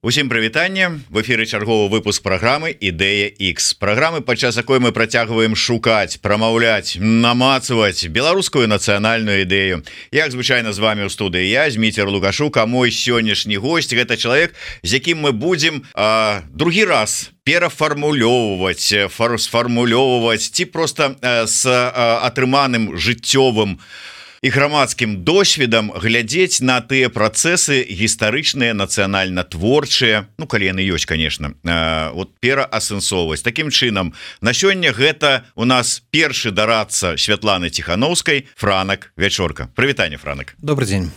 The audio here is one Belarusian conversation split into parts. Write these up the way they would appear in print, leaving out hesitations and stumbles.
Усім прывітанне, в эфіры чарговы выпуск праграмы Ідэя X. Праграмы, падчас якой мы працягваем шукаць, прамаўляць, намацаваць беларускую нацыянальную ідэю. Як звычайна з вами ў студыі я, Зміцер Лукашук, а мой сённяшні госць гэта чалавек, з якім мы будзем другі раз перафармулёўваць, сфармулёўваць ці проста з атрыманым жыццёвым і грамадскім досведам глядзець на тыя працэсы гістарычныя, нацыянальна-творчыя, ну калі яны ёсць, конечно, вот пераасэнсоўваць. Такім чынам, на сёння гэта у нас першы дарадца Святланы Ціхановскай, Франак Вячорка. Прывітанне, Франак. Добрый дзень.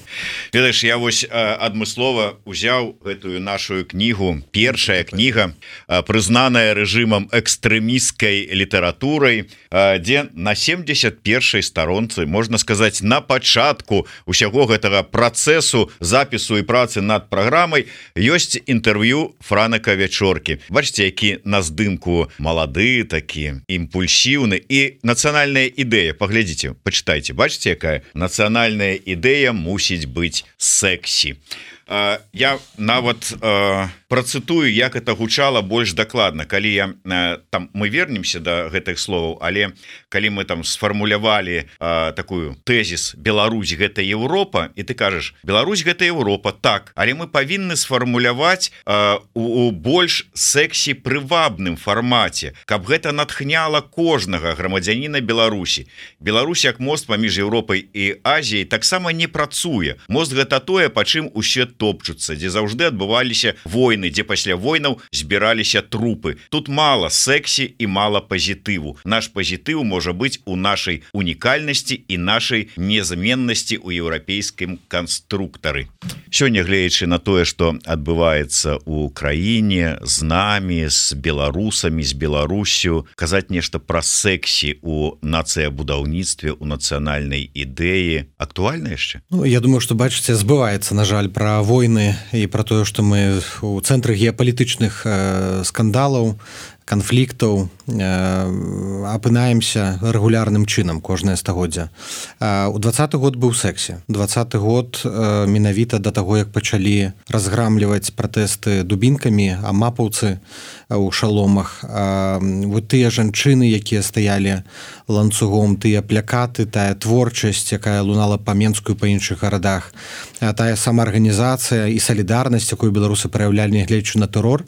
Ведаеш, я вось адмыслова узяў гэтую нашу кнігу, першая кніга, прызнаная рэжымам экстрэмісцкай літаратурай, дзе на 71-й старонцы, можна сказаць, на пачатку усяго гэтага працэсу запісу і працы над праграмай ёсць інтэрв'ю Франака Вячоркі. Бачце, які на здымку малады, такі імпульсіўны, і нацыянальная ідэя, паглядзіце, пачытайце, бачце, якая нацыянальная ідэя мусіць быць сэксі. Я нават працытую, як это гучала больш дакладна, калі я там мы вернемся да гэтых словаў, але калі мы там сфармулявалі такую тэзіс Беларусь гэта Еўропа, і ты кажаш Беларусь гэта Еўропа, так, але мы павінны сфармуляваць у больш сэксі прывабным фармаце, каб гэта натхняла кожнага грамадзяніна Беларусі. Беларусь як мост паміж Еўропай і Азіяй таксама не працуе. Мост гэта тое, па чым усе топчуцца, дзе заўжды адбываліся войны, дзе пасля войнаў збіраліся трупы. Тут мала сэксі і мала пазітыву. Наш пазітыў можа быць у нашай унікальнасці і нашай незменнасці ў еўрапейскім канструктары. Сёння, гледзячы на тое, што адбываецца ў краіне з намі, з беларусамі, з Беларусю, казаць нешта пра сэксі у нацыябудаўніцтве, у нацыянальнай ідэі актуальна яшчэ? Ну, я думаю, што бачыце, збываецца, на жаль, пра войны і пра тое, што мы у цэнтры геапалітычных скандалаў, канфліктаў апынаемся рэгулярным чынам кожнае стагоддзя. У 20-й год быў сэксі. 20-й год менавіта да таго, як пачалі разграмліваць пратэсты дубінкамі, амапаўцы ў шаломах. Вот тыя жанчыны, якія стаялі ланцугом, тыя плякаты, тая творчасць, якая лунала па Менску і па іншых гарадах, тая самаарганізацыя і салідарнасць, якую беларусы праяўлялі, нягледзячы на тэрор,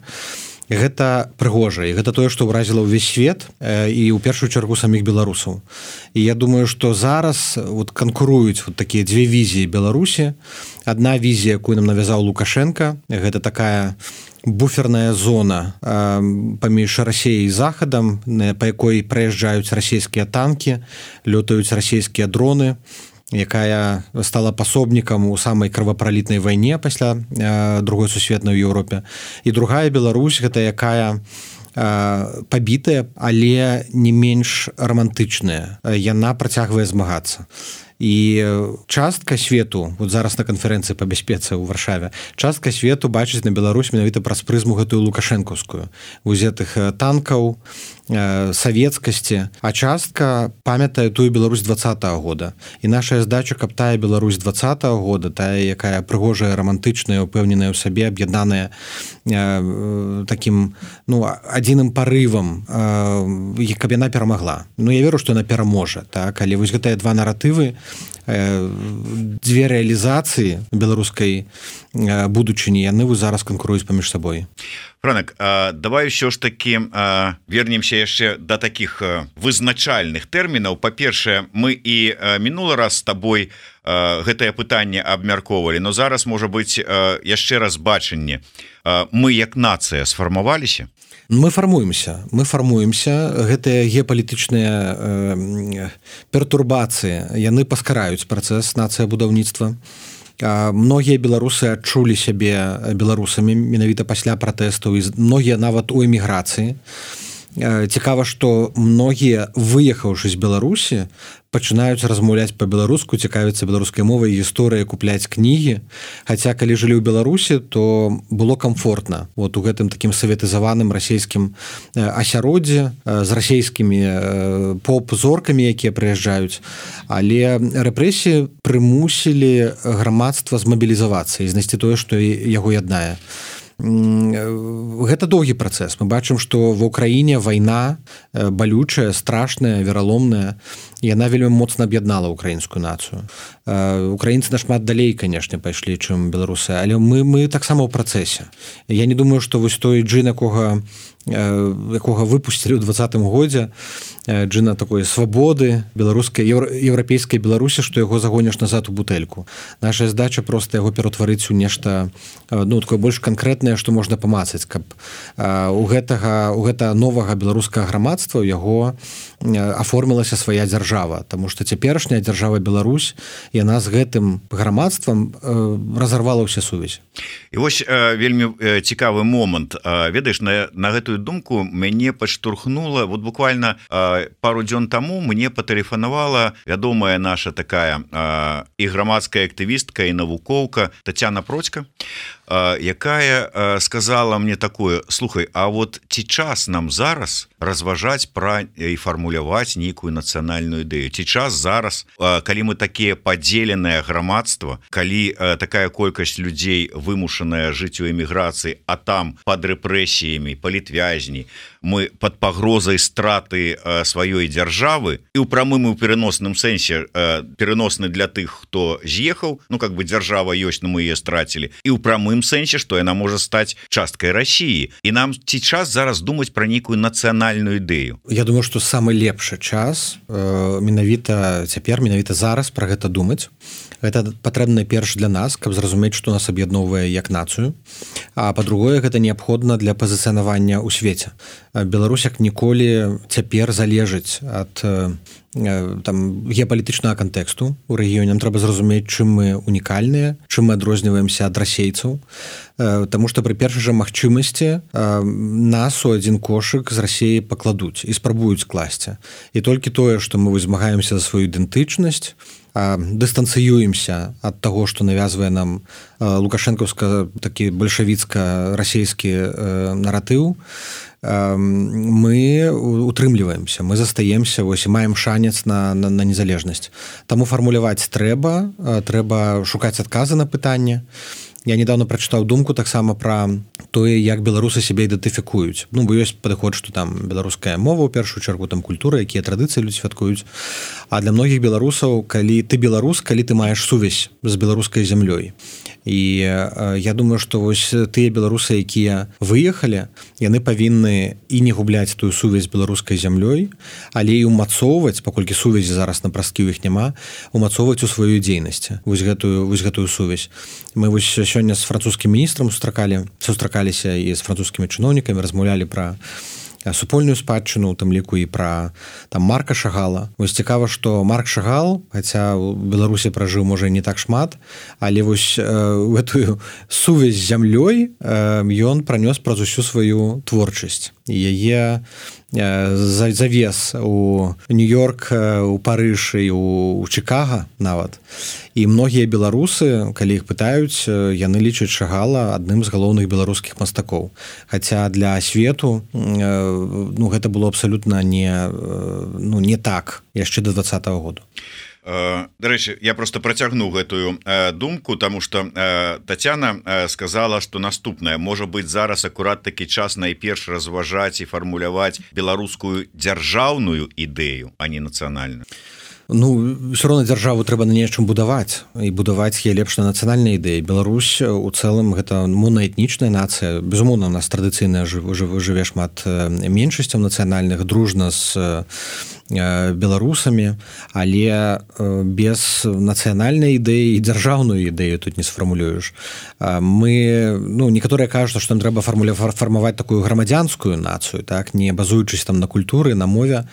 гэта прыгожа, і гэта тое, што ўразіла ўвесь свет і ў першую чаргу саміх беларусаў. І я думаю, што зараз вот канкуруюць вот такія дзве візіі Беларусі. Адна візія, якую нам навязаў Лукашенко, гэта такая буферная зона паміж Расіяй і Захадам, па якой праязджаюць расійскія танкі, лётаюць расійскія дроны, якая стала пасобнікам у самай крывапралітнай вайне пасля другой сусветнай у Еўропе. І другая Беларусь, гэта якая пабітая, але не менш рамантычная. Яна працягвае змагацца. І частка свету, вот зараз на канферэнцыі па бяспецы ў Варшаве, частка свету бачыць на Беларусь менавіта праз прызму гэтую лукашэнкаўскую, узетых танкаў, савецкасці, а частка памятае тую Беларусь 20-го года. І наша здача, каб тая Беларусь 20-го года, тая, якая прыгожая, рамантычная, упэўненая ў сабе, аб'яднаная такім, ну, адзіным парывам, каб яна перамагла. Ну, я веру, што яна пераможа, так, але вось гэтыя два наратывы, дзве рэалізацыі беларускай будучыні, яны зараз канкуруюць паміж сабой. Франак, давай ўсё ж такі вернемся яшчэ да такіх вызначальных тэрмінаў. Па-першае, мы і мінулы раз з табой гэтае пытанне абмяркоўвалі, но зараз, можа быць, яшчэ раз бачанне. Мы як нацыя сфармаваліся? Мы фармуемся. Гэтыя геапалітычныя пертурбацыі, яны паскараюць працэс нацыябудаўніцтва. Многія беларусы адчулі сябе беларусамі менавіта пасля пратэстаў, і многія нават у эміграцыі. Цікава, што многія, выехаўшы з Беларусі, пачынаюць размаўляць па-беларуску, цікавіцца беларускай мовай, гісторыяй, купляць кнігі. Хаця, калі жылі ў Беларусі, то было камфортна. Вот у гэтым такім саветызаваным расійскім асяроддзі з расійскімі поп-зоркамі, якія прыязджаюць. Але рэпрэсіі прымусілі грамадства змабілізавацца і знайсці тое, што яго яднае. гэта доўгі працэс. Мы бачым, што ва ўкраіне вайна балючая, страшная, вераломная, яна вельмі моцна аб'яднала украінскую нацыю. Украінцы нашмат далей, канешне, пайшлі, чым беларусы, але мы таксама ў працэсе. Я не думаю, што вось той джин, якога выпусцілі ў 20-м годзе, джина такой свабоды беларускай, еўрапейскай Беларусі, што яго загоніш назад у бутэльку. Наша задача проста яго ператварыць у нешта такое больш канкрэтнае, што можна памацаць, каб у гэта новага беларускага грамадства у яго аформілася свая дзяржава, таму што цяперашняя дзяржава Беларусь, яна з гэтым грамадствам разарвала ўсе сувязі. І вось вельмі цікавы момант. Ведаеш, на гэтую думку мяне падштурхнула, вот буквально пару дзён таму мне патэлефанавала вядомая наша такая і грамадская актывістка, і навукоўка Тацяна Процька, якая сказала мне такое: слухай, а вот ці час нам зараз разважаць пра і фармуляваць нейкую нацыянальную ідэю? Ці час зараз, калі мы такія падзеленае грамадства, калі такая колькасць людзей вымушаная жыць у эміграцыі, а там пад рэпрэсіямі, палітвязні, мы пад пагрозай страты сваёй дзяржавы, і ў прамым і ў пераносным сэнсе пераносны для тых, хто з'ехаў, ну как бы дзяржава ёсць, но мы яе страцілі, і ў прамым сэнсе, што яна можа стаць часткай Расіі. І нам ці час зараз думаць пра нейкую нацыянальную ідэю? Я думаю, што самы лепшы час менавіта цяпер, менавіта зараз пра гэта думаць. Гэта патрэбна перш для нас, каб зразумець, што нас аб'ядноўвае як нацыю, а па-другое, гэта неабходна для пазіцыянавання ў свеце. Беларусь як ніколі цяпер залежыць ад геапалітычнага кантэксту ў рэгіёне. Нам трэба зразумець, чым мы унікальныя, чым мы адрозніваемся ад расейцаў, таму што пры першай жа магчымасці нас у адзін кошык з Расіяй пакладуць і спрабуюць класці. І толькі тое, што мы змагаемся за сваю ідэнтычнасць, дыстанцыюемся ад таго, што навязвае нам лукашэнкаўска такі бальшавіцка-расейскі наратыў, мы утрымліваемся, мы застаемся, вось, і маем шанец на незалежнасць. Таму фармуляваць трэба шукаць адказы на пытанне. Я недавно прачытаў думку таксама пра тое, як беларусы сябе ідэнтыфікуюць. Ну, бо ёсць падыход, што там беларуская мова, ў першую чаргу, там культура, якія традыцыі людзі святкуюць. А для многіх беларусаў, калі ты беларус, калі ты маеш сувязь з беларускай зямлёй. І я думаю, што вось тыя беларусы, якія выехалі, яны павінны і не губляць тую сувязь з беларускай зямлёй, але і умацоўваць, паколькі сувязі зараз на прасткі ў іх няма, умацоўваць у сваёй дзейнасці вось гэтую сувязь. Мы вось сёння з французскім міністрам сустракаліся і з французскімі чыноўнікамі, размаўлялі пра супольную спадчыну, у тым ліку і пра там Марка Шагала. Вось цікава, што Марк Шагал, хаця ў Беларусі пражыў, можа, не так шмат, але вось гэтую сувязь з зямлёй ён пранёс праз усю сваю творчасць. І яе завес у Нью-Йорк, у Парыж і у Чикаго нават. І многія беларусы, калі іх пытаюць, яны лічаць Шагала адным з галоўных беларускіх мастакоў. Хаця для свету гэта было абсалютна не так яшчэ да 20-го году. Дарэчы, я просто працягну гэтую думку, таму што Тацяна сказала, што наступнае: можа быць, зараз акурат такі час найперш разважаць і фармуляваць беларускую дзяржаўную ідэю, а не нацыянальную. Ну, все роўна дзяржаву трэба на нечым будаваць, і будаваць яе лепш на нацыянальнай ідэі. Беларусь у цэлым гэта монаэтнічная нацыя. Безумоўна, у нас традыцыйна жыве шмат меншасцяў нацыянальных, дружна з беларусамі, але без нацыянальнай ідэі і дзяржаўную ідэю тут не сфармулюеш. Некаторыя кажуць, што нам трэба фармаваць такую грамадзянскую нацыю, так, не базуючыся там на культуры, на мове.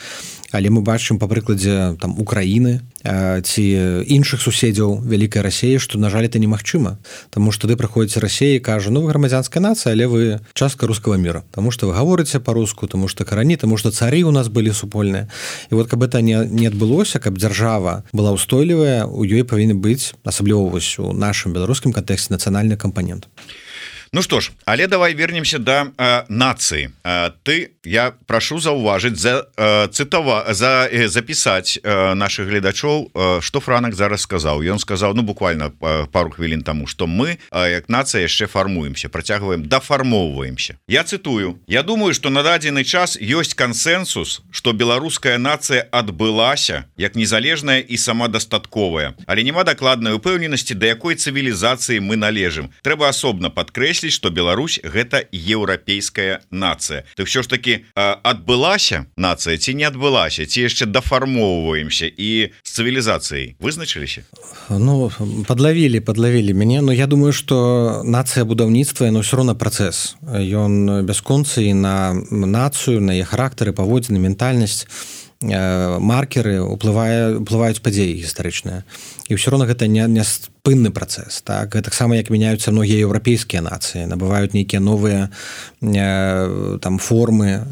Але мы бачым па прыкладзе там Украіны ці іншых суседзяў вялікай Расіі, што, на жаль, это немагчыма. Таму што ты прыходзіце Расіі і кажа: вы грамадзянская нацыя, але вы частка рускага міра. Таму што вы гаворыце па-руску, таму што карані, таму што цары ў нас былі супольныя. І вот каб это не адбылося, каб дзяржава была ўстойлівая, у ёй павінен быць, асабліва вось у нашым беларускім кантэксце, нацыянальны кампанент. Ну что ж, але давай вернемся до нации. Я прошу заўважыць записать наших гледачоў, что Франак зараз сказал. И он сказал, ну буквально пару хвілін тому, что мы як нация яшчэ формуемся, працягваем, дафармоўваемся. Я цитую: я думаю, что на дадзены час ёсць консенсус, что беларуская нация адбылася як незалежная и самадастатковая, але няма дакладнай упэўненасці, да якой цывілізацыі мы належым. Трэба асобна падкрэсліць, что Беларусь гэта еўрапейская нация. Так що ж таки адбылася нация ці не адбылася, ці яшчэ дафармоўваемся і з цывілізацыяй вызначыліся? Ну, подловили мяне. Но я думаю, что нация будаўніцтва, но все равно процесс. Ён бясконцы і на нацию, на яе характары, паводзіны, ментальнасць, маркеры уплываюць падзеі гістарычныя. І ўсё роўна гэта не спынны працэс. Так? Гэтаксама як мяняюцца многія еўрапейскія нацыі, набываюць нейкія новыя там формы,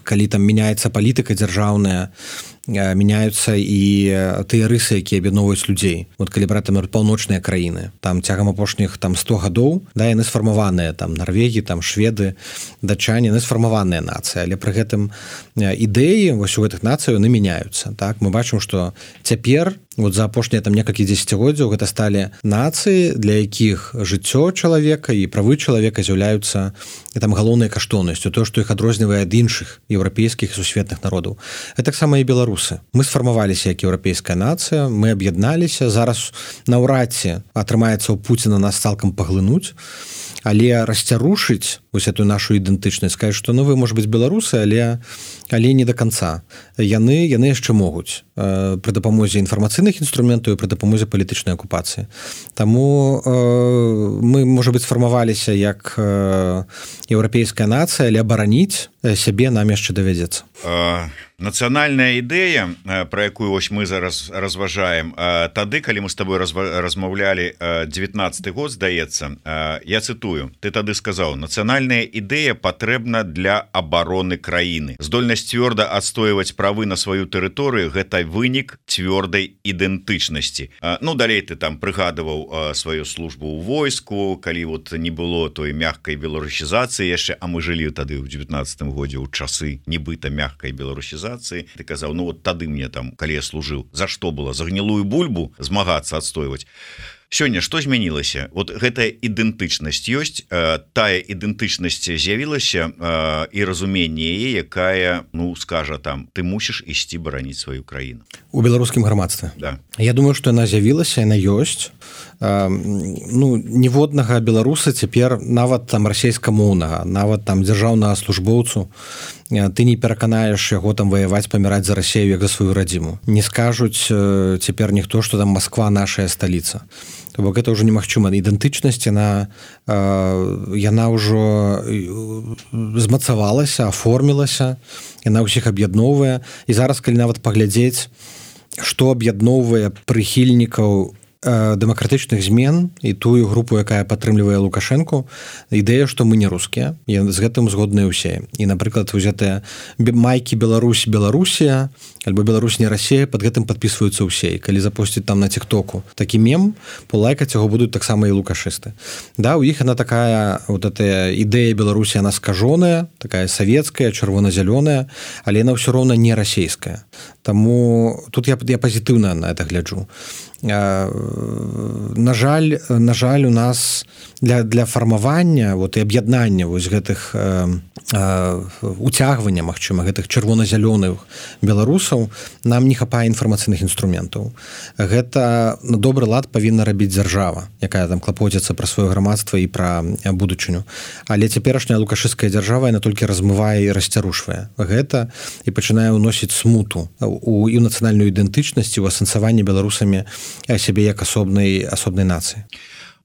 калі там мяняецца палітыка дзяржаўная, мяняюцца і тыя рысы, якія аб'ядноўваюць людзей. Вот калі браць там паўночныя краіны, там цягам апошніх там 100 гадоў, да, яны сфармаваныя, там нарвегі, там шведы, датчане, яны сфармаваныя нацыі, але пры гэтым ідэі вось у гэтых нацый яны мяняюцца. Так, мы бачым, што цяпер вот за апошнія там некалькі дзесяцігоддзяў гэта сталі нацыі, для якіх жыццё чалавека і правы чалавека з'яўляюцца там галоўнай каштоўнасцю, то, што іх адрознівае ад іншых еўрапейскіх і сусветных народаў. Гэтаксама і беларусы. Мы сфармаваліся як еўрапейская нацыя, мы аб'ядналіся, зараз наўрад ці атрымаецца ў Пуціна нас цалкам паглынуць, але расцярушыць вось эту нашу ідэнтычнасць, сказаць, што ну вы, можа быць, беларусы, але не да канца. Яны яшчэ могуць пры дапамозе інфармацыйных інструментаў і пры дапамозе палітычнай акупацыі. Таму мы, можа быць, сфармаваліся як еўрапейская нацыя, але абараніць сябе нам яшчэ давядзецца. Нацыянальная ідэя, про якую вось мы зараз разважаем, тады, калі мы з тобой размаўлялі 19 год, здаецца, я цытую, ты тады сказаў: нацыянальная ідэя патрэбна для абароны краіны. Здольнасць цвёрда адстойваць правы на сваю тэрыторыю — гэта вынік цвёрдай ідэнтычнасці. Ну, далей ты там прыгадываў сваю службу ў войску, калі вот не было той мягкай беларусізацыі яшчэ, а мы жылі тады ў 19 годзе ў часы нібыта мягкай беларусізацыі. Ты казаў, ну вот тады мне там, калі я служыў, за што было? За гнілую бульбу змагацца, адстойваць. Сёння што змянілася? Вот гэтая ідэнтычнасць ёсць, тая ідэнтычнасць з'явілася і разуменне яе, якая, ну, скажа там, ты мусіш ісці бараніць сваю краіну. У беларускім грамадстве? Да. Я думаю, што яна з'явілася, яна ёсць. Ну, ніводнага беларуса цяпер, нават там расейскамоўнага, нават там дзяржаўнага службоўцу, ты не пераканаеш яго там ваяваць, паміраць за Расею, як за сваю радзіму. Не скажуць цяпер ніхто, што там Масква нашая сталіца. То бок гэта ўжо немагчыма. Ідэнтычнасць, яна ўжо змацавалася, аформілася, яна ўсіх аб'ядноўвае. І зараз, калі нават паглядзець, што аб'ядноўвае прыхільнікаў дэмакратычных змен і тую групу, якая падтрымлівае Лукашэнку, ідэя, што мы не рускія, і з гэтым згодныя ўсе. І, напрыклад, узятыя майкі Беларусія альбо Беларусь не Расія, пад гэтым падпісваюцца ўсе. І калі запусціць там на тиктоку такі мем, полайкаць яго будуць таксама і лукашысты. Да, у іх яна такая, вот эта ідэя Беларусі, яна скажоная, такая савецкая, чырвона-зялёная, але яна ўсё роўна не расейская. Таму тут я пазітыўна на это гляджу. На жаль, у нас для фармавання вот, і аб'яднання вось гэтых уцягвання, магчыма, гэтых чырвона-зялёных беларусаў нам не хапае інфармацыйных інструментаў. Гэта на добры лад павінна рабіць дзяржава, якая там клапоціцца пра сваё грамадства і пра будучыню. Але цяперашняя лукашысцкая дзяржава, яна толькі размывае і расцярушвае гэта і пачынае ўносіць смуту і ў нацыянальную ідэнтычнасць, у асэнсаванне беларусамі сябе як асобнай нацыі.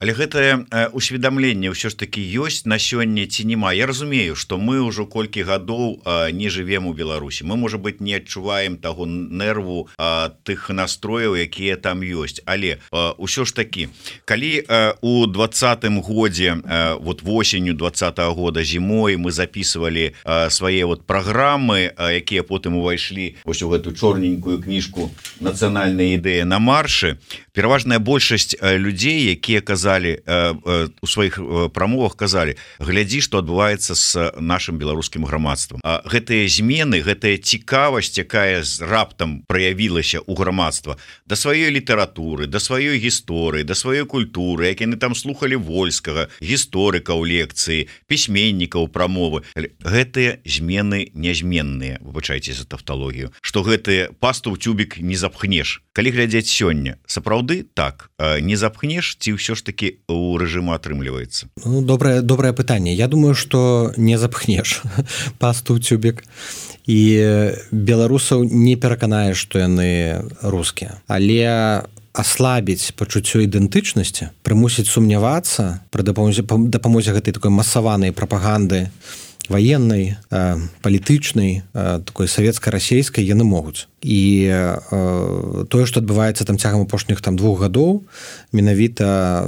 Але гэтае усведамленне ўсё ж такі ёсць на сёння ці няма? Я разумею, што мы ўжо колькі гадоў не жывем у Беларусі. Мы, можа быць, не адчуваем таго нерву тых настрояў, якія там ёсць. Але ўсё ж такі, калі у 20-м годзе, вот восенню 20-го года, зімой, мы записывалі свае вот праграмы, якія потым увайшлі вось у гэту чорненькую кніжку «Нацыянальная ідэя на маршы», пераважная большасць людзей, якія казалі у сваіх прамовах, казалі: глядзі, што адбываецца з нашым беларускім грамадствам. Гэтыя змены, гэтая цікавасць, якая раптам праявілася ў грамадства да сваёй літаратуры, да сваёй гісторыі, да сваёй культуры, як яны там слухалі Вольскага, гісторыкаў лекцыі, пісьменнікаў прамовы. Гэтыя змены нязменныя, выбачайце за тавталогію, што гэты пасту ў тюбік не запхнеш. Калі глядзець сёння, сапраўды так, не запхнеш, ці ўсё ж таки у рэжыму атрымліваецца? Ну, добрае пытанне. Я думаю, што не запхнеш пасту ў тюбік. І беларусаў не пераканае, што яны рускія. Але аслабіць пачуццё ідэнтычнасці, прымусіць сумнявацца пры дапамозе гэтай такой масаванай прапаганды военной, палітычнай, такой савецка-расейскай яны могуць. І тое, што адбываецца там цягам апошніх 2 гадоў, менавіта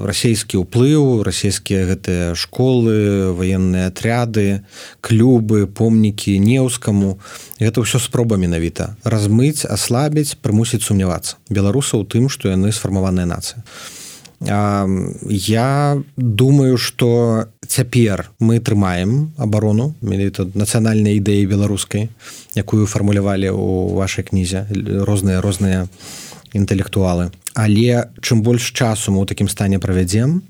расійскі ўплыў, расійскія гэтыя школы, военныя атряды, клубы, помнікі Неўскаму, гэта ўсё спроба менавіта размыць, аслабіць, прымусіць сумнявацца беларусаў у тым, што яны сфармаваная нацыя. Я думаю, што цяпер мы трымаем абарону, менавіта нацыянальнай ідэі беларускай, якую фармулявалі ў вашай кнізе розныя інтэлектуалы. Але чым больш часу мы ў такім стане правядзем,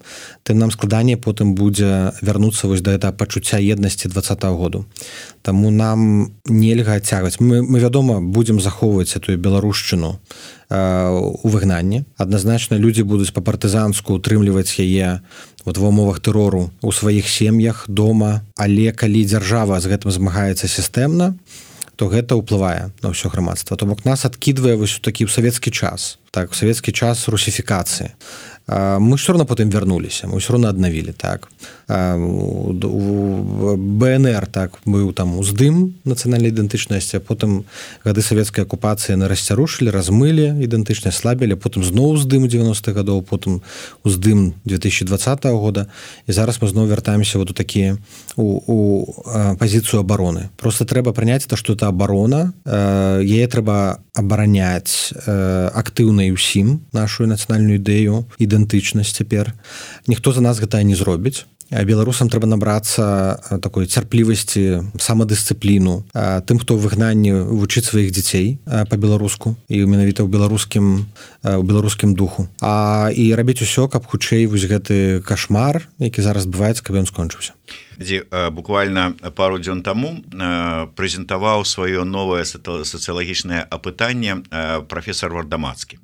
тым нам складаней потым будзе вярнуцца вось да гэтага пачуцця еднасці 20-го году. Таму нам нельга адцягваць. Мы вядома, будзем захоўваць эту беларушчыну у выгнанні. Адназначна людзі будуць па-партызанску утрымліваць яе ва ўмовах тэрору ў сваіх сем'ях, дома, але калі дзяржава з гэтым змагаецца сістэмна, то гэта ўплывае на ўсё грамадства. То бок нас адкідвае вось такі ў савецкі час, так, у савецкі час русіфікацыі. Мы ўсё роўна потым вярнуліся, мы ўсё роўна аднавілі, так. У БНР, так, быў там уздым нацыянальнай ідэнтычнасці, а потым гады савецкай акупацыі яны расцярушылі, размылі ідэнтычнасць, слабілі, потым зноў уздым 90-х гадоў, потым уздым 2020 года, і зараз мы зноў вяртаемся вот у такі у пазіцыю абароны. Просто трэба прыняць, што это абарона, яе трэба абараняць актыўна і ўсім нашу нацыянальную ідэю, ідэнтычнасць цяпер. Ніхто за нас гэта не зробіць. Беларусам трэба набрацца такой цярплівасці, самадысцыпліну. Тым, хто ў выгнанні, вучыць сваіх дзяцей па-беларуску і менавіта ў беларускім духу. І рабіць усё, каб хутчэй вось гэты кашмар, які зараз адбываецца, каб ён скончыўся. Буквально пару дзён таму прэзентаваў сваё новае сацыялагічнае апытанне прафесор Вардамацкі.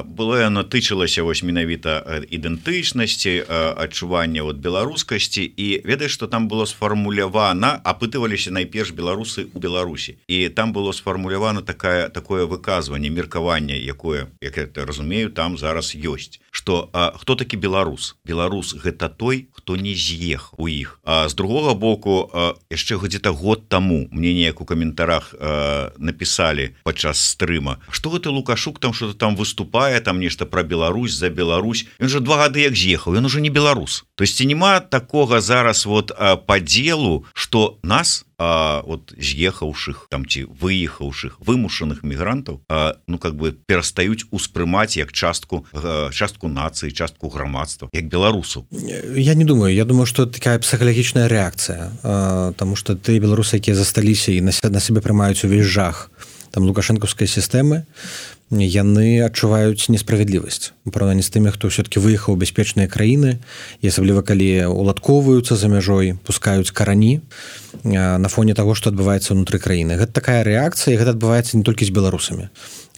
Было яно тычылася вось менавіта ідэнтычнасці, адчування беларускасці, і ведаеш, што там было сфармулявана, апытываліся найперш беларусы ў Беларусі, і там было сфармулявана такое выказванне, меркаванне, якое, як я разумею, там зараз ёсць, што хто такі беларус? Беларус гэта той, хто не з'ехаў у іх. З другога боку, яшчэ где-то год таму мне неяк у каментарах напісалі падчас стрыма, што гэты Лукашук там что-то там выступае, там нешта пра Беларусь, за Беларусь. Ён жа 2 гады як з'ехаў, ён уже не беларус. То есть няма такога зараз вот падзелу, што нас з'ехаўшых там ці выехаўшых вымушаных мігрантаў ну как бы перастаюць успрымаць як частку нацыі, частку грамадства, як беларусаў. Я не думаю, я думаю, што такая псіхалагічная рэакцыя, таму што ты беларусы, якія засталіся і на сябе прымаюць увесь жах там лукашэнкаўскай сістэмы, яны адчуваюць несправядлівасць у параўнанні з тымі, хто ўсё-таки выехаў у бяспечныя краіны, і асабліва калі уладкоўваюцца за мяжой, пускаюць карані на фоне таго, што адбываецца ўнутры краіны. Гэта такая рэакцыя, і гэта адбываецца не толькі з беларусамі.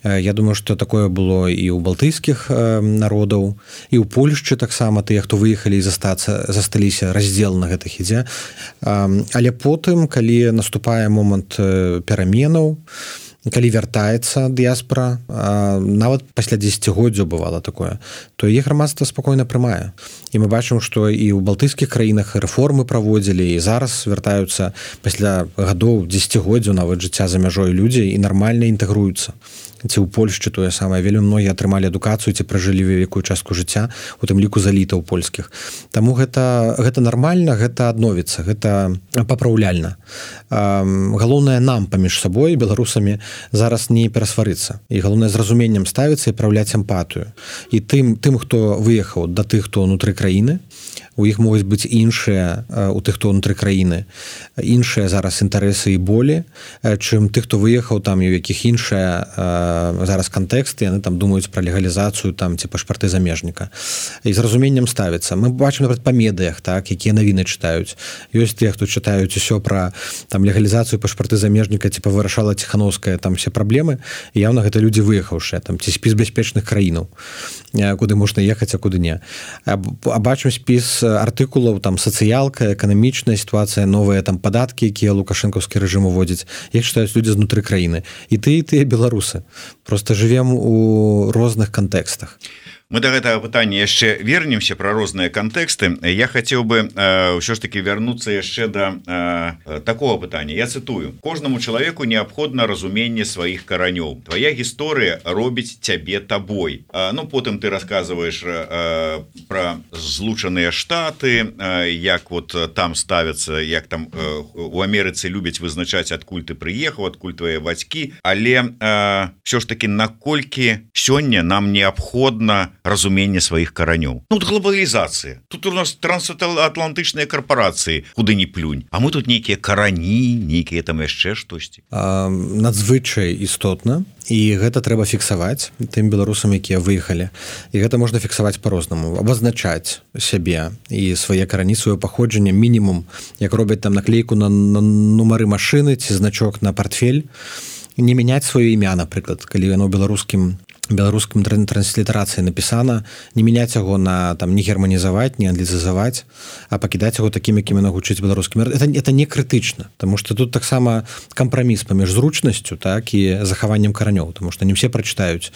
Я думаю, што такое было і ў балтыйскіх народаў, і ў Польшчы таксама, тыя, хто выехалі і засталіся, раздзел на гэтых ідзе. Але потым, калі наступае момант пераменаў, калі вяртаецца дыяспара, нават пасля 10-годдзяў бывала такое, то яе грамадства спакойна прымае. І мы бачым, што і ў балтыйскіх краінах рэформы праводзілі, і зараз вяртаюцца пасля гадоў 10-годдзяў нават жыцця за мяжой людзі і нармальна інтэгруюцца. ці ў Польшчы тое самае, вельмі многія атрымалі адукацыю ці пражылі вялікую частку жыцця, у тым ліку залітаў польскіх. Таму гэта нармальна, гэта адновіцца, гэта папраўляльна. Галоўнае нам паміж сабой, беларусамі, зараз не перасварыцца. І галоўнае з разуменнем ставіцца і праяўляць эмпатыю. І тым, хто выехаў да тых, хто ўнутры краіны, у іх могуць быць іншыя, у тых, хто ўнутры краіны, іншыя зараз інтарэсы і болі, чым тых, хто выехаў там, і у якіх іншыя зараз кантэксты, яны там думаюць пра легалізацыю там ці пашпарты замежніка. І з разуменнем ставіцца. Мы бачым, напрыклад, па медыях, так, якія навіны чытаюць. Ёсць тыя, хто чытаюць усё пра там легалізацыю пашпарты замежніка, ці павырашала Ціхановская там все праблемы, і яўна гэта людзі выехаўшыя, там ці спіс бяспечных краінаў, куды можна ехаць, а куды не. А бачым спіс артыкулаў, там сацыялка, эканамічная сітуацыя, новыя там падаткі, якія лукашэнкаўскі рэжым уводзіць, іх чытаюць людзі знутры краіны. І тыя беларусы. Просто жывем у розных кантэкстах. Мы до гэтага пытання яшчэ вернемся пра розныя кантэксты. Я хацеў бы ўсё ж таки вярнуцца яшчэ да такого пытання. Я цытую: кожнаму чалавеку неабходна разуменне сваіх каранёў. Твая гісторыя робіць цябе табой. Ну, потым ты расказваеш пра Злучаныя Штаты, як вот там ставяцца, як там у Амерыцы любяць вызначаць, адкуль ты прыехаў, адкуль твае бацькі. Але ўсё ж таки, наколькі сёння нам неабходна разуменне сваіх каранёў. Ну, глобалізацыя. Тут у нас трансатлантычныя карпорацыі, куды не плюнь. А мы тут нейкія карані, нейкія там яшчэ штосьці. Надзвычай істотна. І гэта трэба фіксаваць тым беларусам, якія выехалі. І гэта можна фіксаваць па-рознаму. Абазначаць сябе і свае карані, сваё паходжанне, мінімум, як робяць там наклейку на нумары машыны ці значок на партфель. Не мяняць сваё імя, напрыклад, калі яно беларускім транслітарацыі напісана, не мяняць яго на там не германізаваць, не англізаваць, а пакідаць яго такім, якім яно гучыць беларускім. Это не крытычна, таму што тут таксама кампраміс паміж зручнасцю, так, і захаваннем каранёў, таму што не ўсе прачытаюць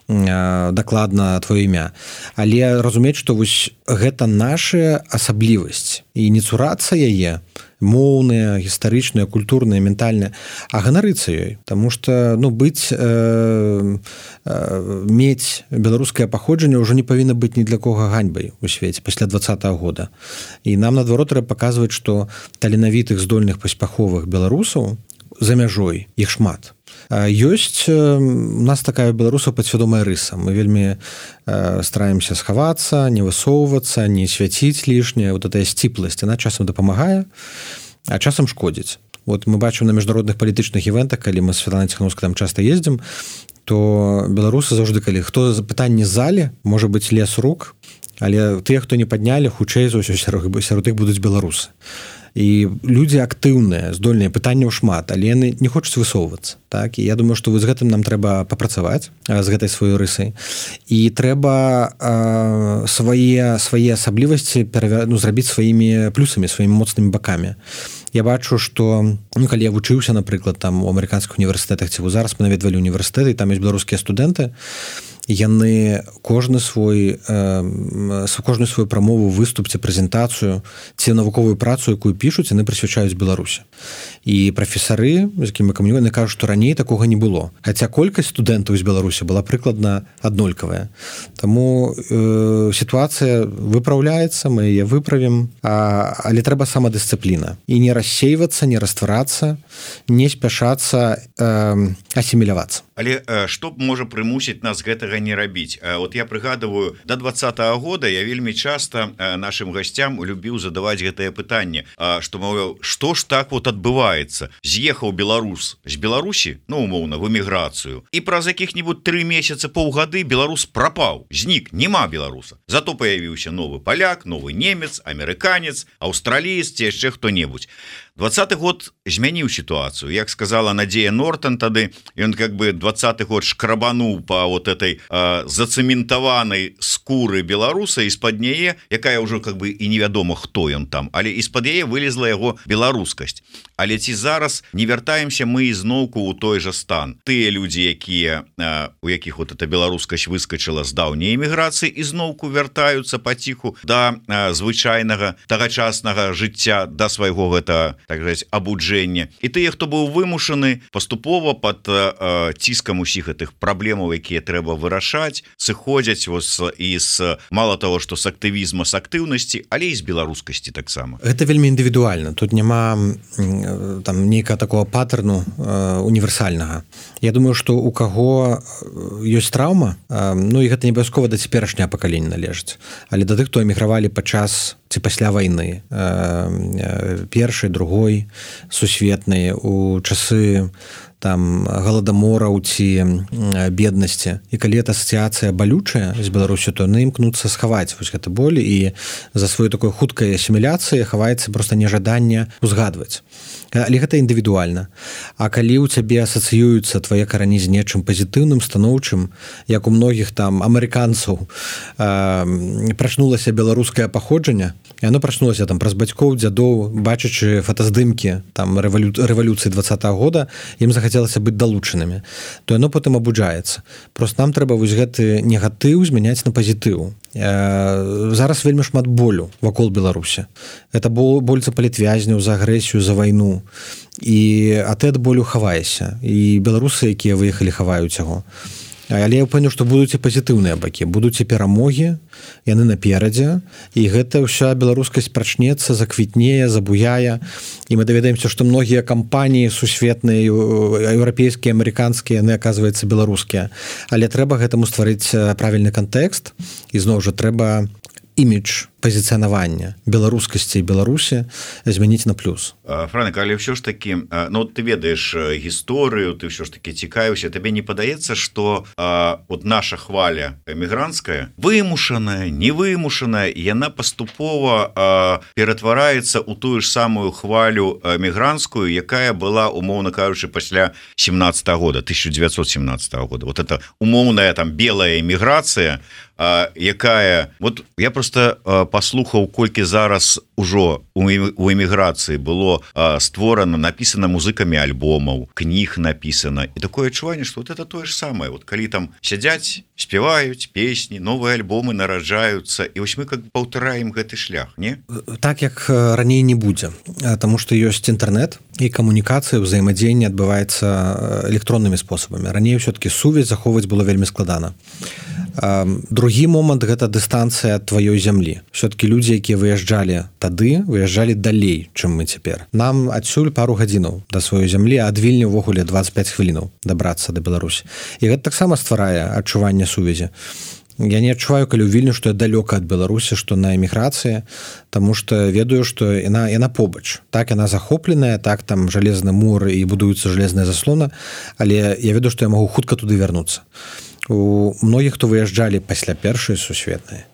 дакладна твоё імя. Але разумець, што вось гэта наша асаблівасць, і не цурацца яе, моўныя, гістарычныя, культурныя, ментальныя, а ганарыцца ёй, таму што, ну, мець беларускае паходжанне ўжо не павінна быць ні для кога ганьбай у свеце пасля 20-го года. І нам, наадварот, трэба паказваць, што таленавітых, здольных, паспяховых беларусаў за мяжой іх шмат. Ёсць у нас такая беларусаў падсвядомая рыса. Мы вельмі стараемся схавацца, не высоўвацца, не свяціць лішняе. Вот эта сціпласць, яна часам дапамагае, а часам шкодзіць. Вот мы бачым на міжнародных палітычных івентах, калі мы з Святланай Ціхановскай там часта ездзім, то беларусы заўжды, калі хто за пытанне залі, можа быць лес рук, але тыя, хто не паднялі, хутчэй за ўсё сярод іх будуць беларусы. І людзі актыўныя, здольныя, пытанняў шмат, але яны не хочуць высоўвацца. Так? І я думаю, што з гэтым нам трэба папрацаваць, з гэтай сваёй рысай. І трэба свае асаблівасці зрабіць сваімі плюсамі, сваімі моцнымі бакамі. Я бачу, што калі я вучыўся, напрыклад, там у амерыканскіх універсітэтах, ці зараз мы наведвалі універсітэты, і там ёсць беларускія студэнты, яны кожную сваю прамову, выступ ці прэзентацыю ці навуковую працу, якую пішуць, яны прысвячаюць Беларусі. І прафесары, з якімі камунікуем, кажуць, што раней такога не было. Хаця колькасць студэнтаў з Беларусі была прыкладна аднолькавая. Таму сітуацыя выпраўляецца, мы яе выправім, але трэба самадысцыпліна. І не рассейвацца, не растварацца, не спяшацца, асімілявацца. Але што можа прымусіць нас гэтага не рабіць? Вот я прыгадываю, до 20-го года я вельмі часта нашим гасцям любіў задаваць гэтае пытанне, што, мовляў, што ж так вот адбываецца? З'ехаў беларус з Беларусі, ну, умоўна, в эміграцыю, і праз якіх-нибудь 3 месяцы, паўгады беларус прапаў, знік, няма беларуса. Зато появіўся новы паляк, новы немец, амерыканец, аўстраліец ці яшчэ хто-небудзь. 20-й год змяніў сітуацыю. Як сказала Надзея Нортон тады, ён как бы 20-й год шкрабануў па вот этой зацэментаванай скуры беларуса, і з-пад яе, якая ўжо как бы і невядома, хто ён там, але і з-пад яе вылезла яго беларускасць. Але ці зараз не вяртаемся мы ізноўку ў той жа стан. Тыя людзі, якія у якіх вот эта беларускасць выскачыла з даўняй эміграцыі і зноўку вяртаюцца паціху да звычайнага тагачаснага жыцця, да свайго гэта, так сказать, абуджэння. І тыя, хто быў вымушаны паступова пад ціскам усіх гэтых праблемаў, якія трэба вырашаць, сыходзяць і з мала того, што з актывізма, з актыўнасці, але і з беларускасці таксама. Гэта вельмі індывідуальна. Тут няма там нейкага такого паттерну універсальнага. Я думаю, што у каго ёсць траўма, ну і гэта не абавязкова да цяперашняга пакалення належыць, але да тых, хто эмігравалі падчас ці пасля вайны, першай, другой, сусветнай, у часы там галадамораў ці беднасці. І калі эта асацыяцыя балючая з Беларусю, то яны імкнуцца схаваць вось гэта боль, і за сваёй такой хуткай асіміляцыі хаваецца проста нежаданне узгадваць. Але гэта індывідуальна. А калі ў цябе асацыююцца твае карані з нечым пазітыўным, станоўчым, як у многіх там амерыканцаў прачнулася беларускае паходжанне, і оно прачнулася там праз бацькоў, дзядоў, бачачы фотаздымкі там рэвалюцыі 20-го года, ім захацелася быць далучанымі, то яно потым абуджаецца. Просто нам трэба вось гэты негатыў змяняць на пазітыў. Зараз вельмі шмат болю вакол Беларусі. Это боль за палітвязняў, за агрэсію, за вайну. А ты ад болю хаваешся. І беларусы, якія выехалі, хаваюць яго. Але я ўпэўнены, што будуць і пазітыўныя бакі, будуць і перамогі, яны наперадзе, і гэта ўся беларускасць прачнецца, заквітнее, забуяе, і мы даведаемся, што многія кампаніі сусветныя, еўрапейскія, амерыканскія, яны, аказваецца, беларускія. Але трэба гэтаму стварыць правільны кантэкст, і зноў жа трэба імідж пазіцыянавання беларускасці і Беларусі змяніць на плюс. Франк, але ўсё ж такі, ну ты ведаеш гісторыю, ты ўсё ж такі цікавіўся, табе не падаецца, што от наша хваля эмігранцкая вымушаная, невымушаная, яна паступова ператвараецца ў тую ж самую хвалю эмігранцкую, якая была, умоўна кажучы, пасля 17-го года, 1917 года. Вот это умоўная там белая эміграцыя, якая, вот я просто паслухаў, колькі зараз ужо у эміграцыі было створана, напісана музыкамі альбомаў, кніг напісана, і такое адчуванне, што вот это тое ж самае, вот калі там сядзяць, спяваюць песні, новыя альбомы нараджаюцца, і вось мы как бы паўтараем гэты шлях, не? Так, як раней не будзе, таму што ёсць інтэрнэт, і камунікацыя, ўзаемадзеянне адбываецца электроннымі спосабамі. Раней ўсё-такі сувязь захоўваць было вельмі складана. Другі момант – гэта дыстанцыя ад тваёй зямлі. Все-таки людзі, якія выязджалі тады, выязджалі далей, чым мы цяпер. Нам адсюль пару гадзінаў да сваёй зямлі, а ад Вільні ўвогуле 25 хвілінаў дабрацца да Беларусі. І гэта таксама стварае адчуванне сувязі. Я не адчуваю, калі ў Вільні, што я далёка ад Беларусі, што на эміграцыі, таму што ведаю, што яна побач. Так, яна захопленая, так, там жалезны мур і будуецца жалезная заслона, але я ведаю, што я магу хутка туды вярнуцца. У многіх, хто выязджалі пасля першай сусветнай,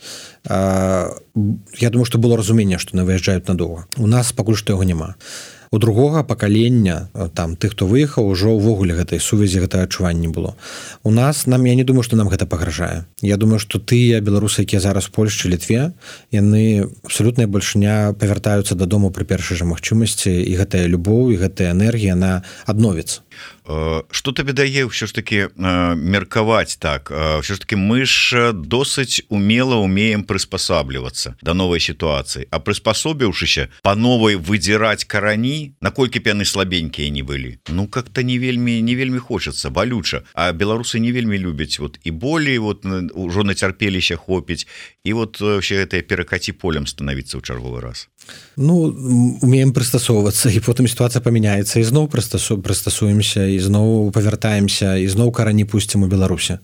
я думаю, што было разуменне, што не выязджаюць надоўга. У нас пакуль што яго няма. У другога пакалення, там, тых, хто выехаў, ужо ўвогуле гэтай сувязі, гэтага адчування не было. У нас, я не думаю, што нам гэта пагражае. Я думаю, што тыя беларусы, якія зараз у Польшчы, Літве, яны абсалютна больш не павяртаюцца дадому пры першай жа магчымасці, і гэтая любоў, і гэтая энергія, яна адновіцца. Што табе дае ўсё ж такі меркаваць так? Ўсё ж такі мы ж досыць умела умеем прыспасаблівацца да новай сітуацыі, а прыспасобіўшыся па новай выдзіраць карані, наколькі б яны слабенькія не былі, ну как-то не вельмі хочацца, балюча. А беларусы не вельмі любяць вот і болей, вот ужо нацярпеліся хопіць, і вот ўсё гэтае перакаці полем станавіцца ў чарговы раз. Ну, умеем прыстасоўвацца, і потым сітуацыя памяняецца, і зноў прыстасуемся, і зноў павяртаемся, і зноў карані пусцім у Беларусі.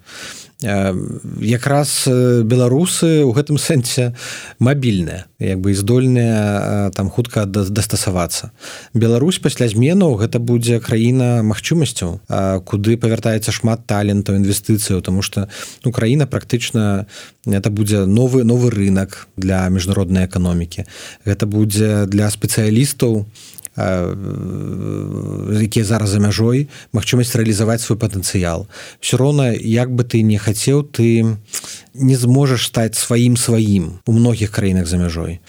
Якраз беларусы ў гэтым сэнсе мабільныя, як бы і здольныя там хутка дастасавацца. Беларусь пасля зменаў гэта будзе краіна магчымасцяў, куды павяртаецца шмат талентаў, інвестыцыяў, таму што краіна практычна это будзе новы рынак для міжнароднай эканомікі. Гэта будзе для спецыялістаў, якія зараз за мяжой, магчымасць рэалізаваць свой патэнцыял. Всё роўна, як бы ты не хацеў, ты не зможаш стаць сваім у многіх краінах за мяжой.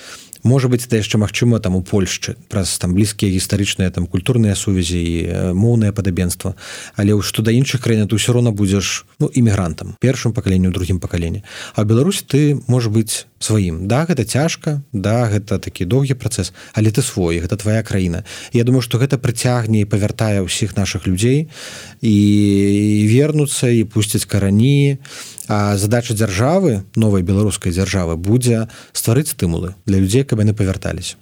можа быць это яшчэ магчыма там у Польшчы праз там блізкія гістарычныя там культурныя сувязі і моўнае падабенства, але што да іншых краін ты ўсё роўна будзеш імігрантам першым пакаленню, другім пакаленні. А ў Беларусі ты можа быць сваім. Да, гэта цяжка, да, гэта такі доўгі працэс, але ты свой, гэта твая краіна. Я думаю, што гэта прыцягне і павяртае ўсіх нашых людзей і вернуцца і пусцяць карані. А задача дзяржавы, новай беларускай дзяржавы, будзе стварыць стымулы для людзей, каб яны павярталіся.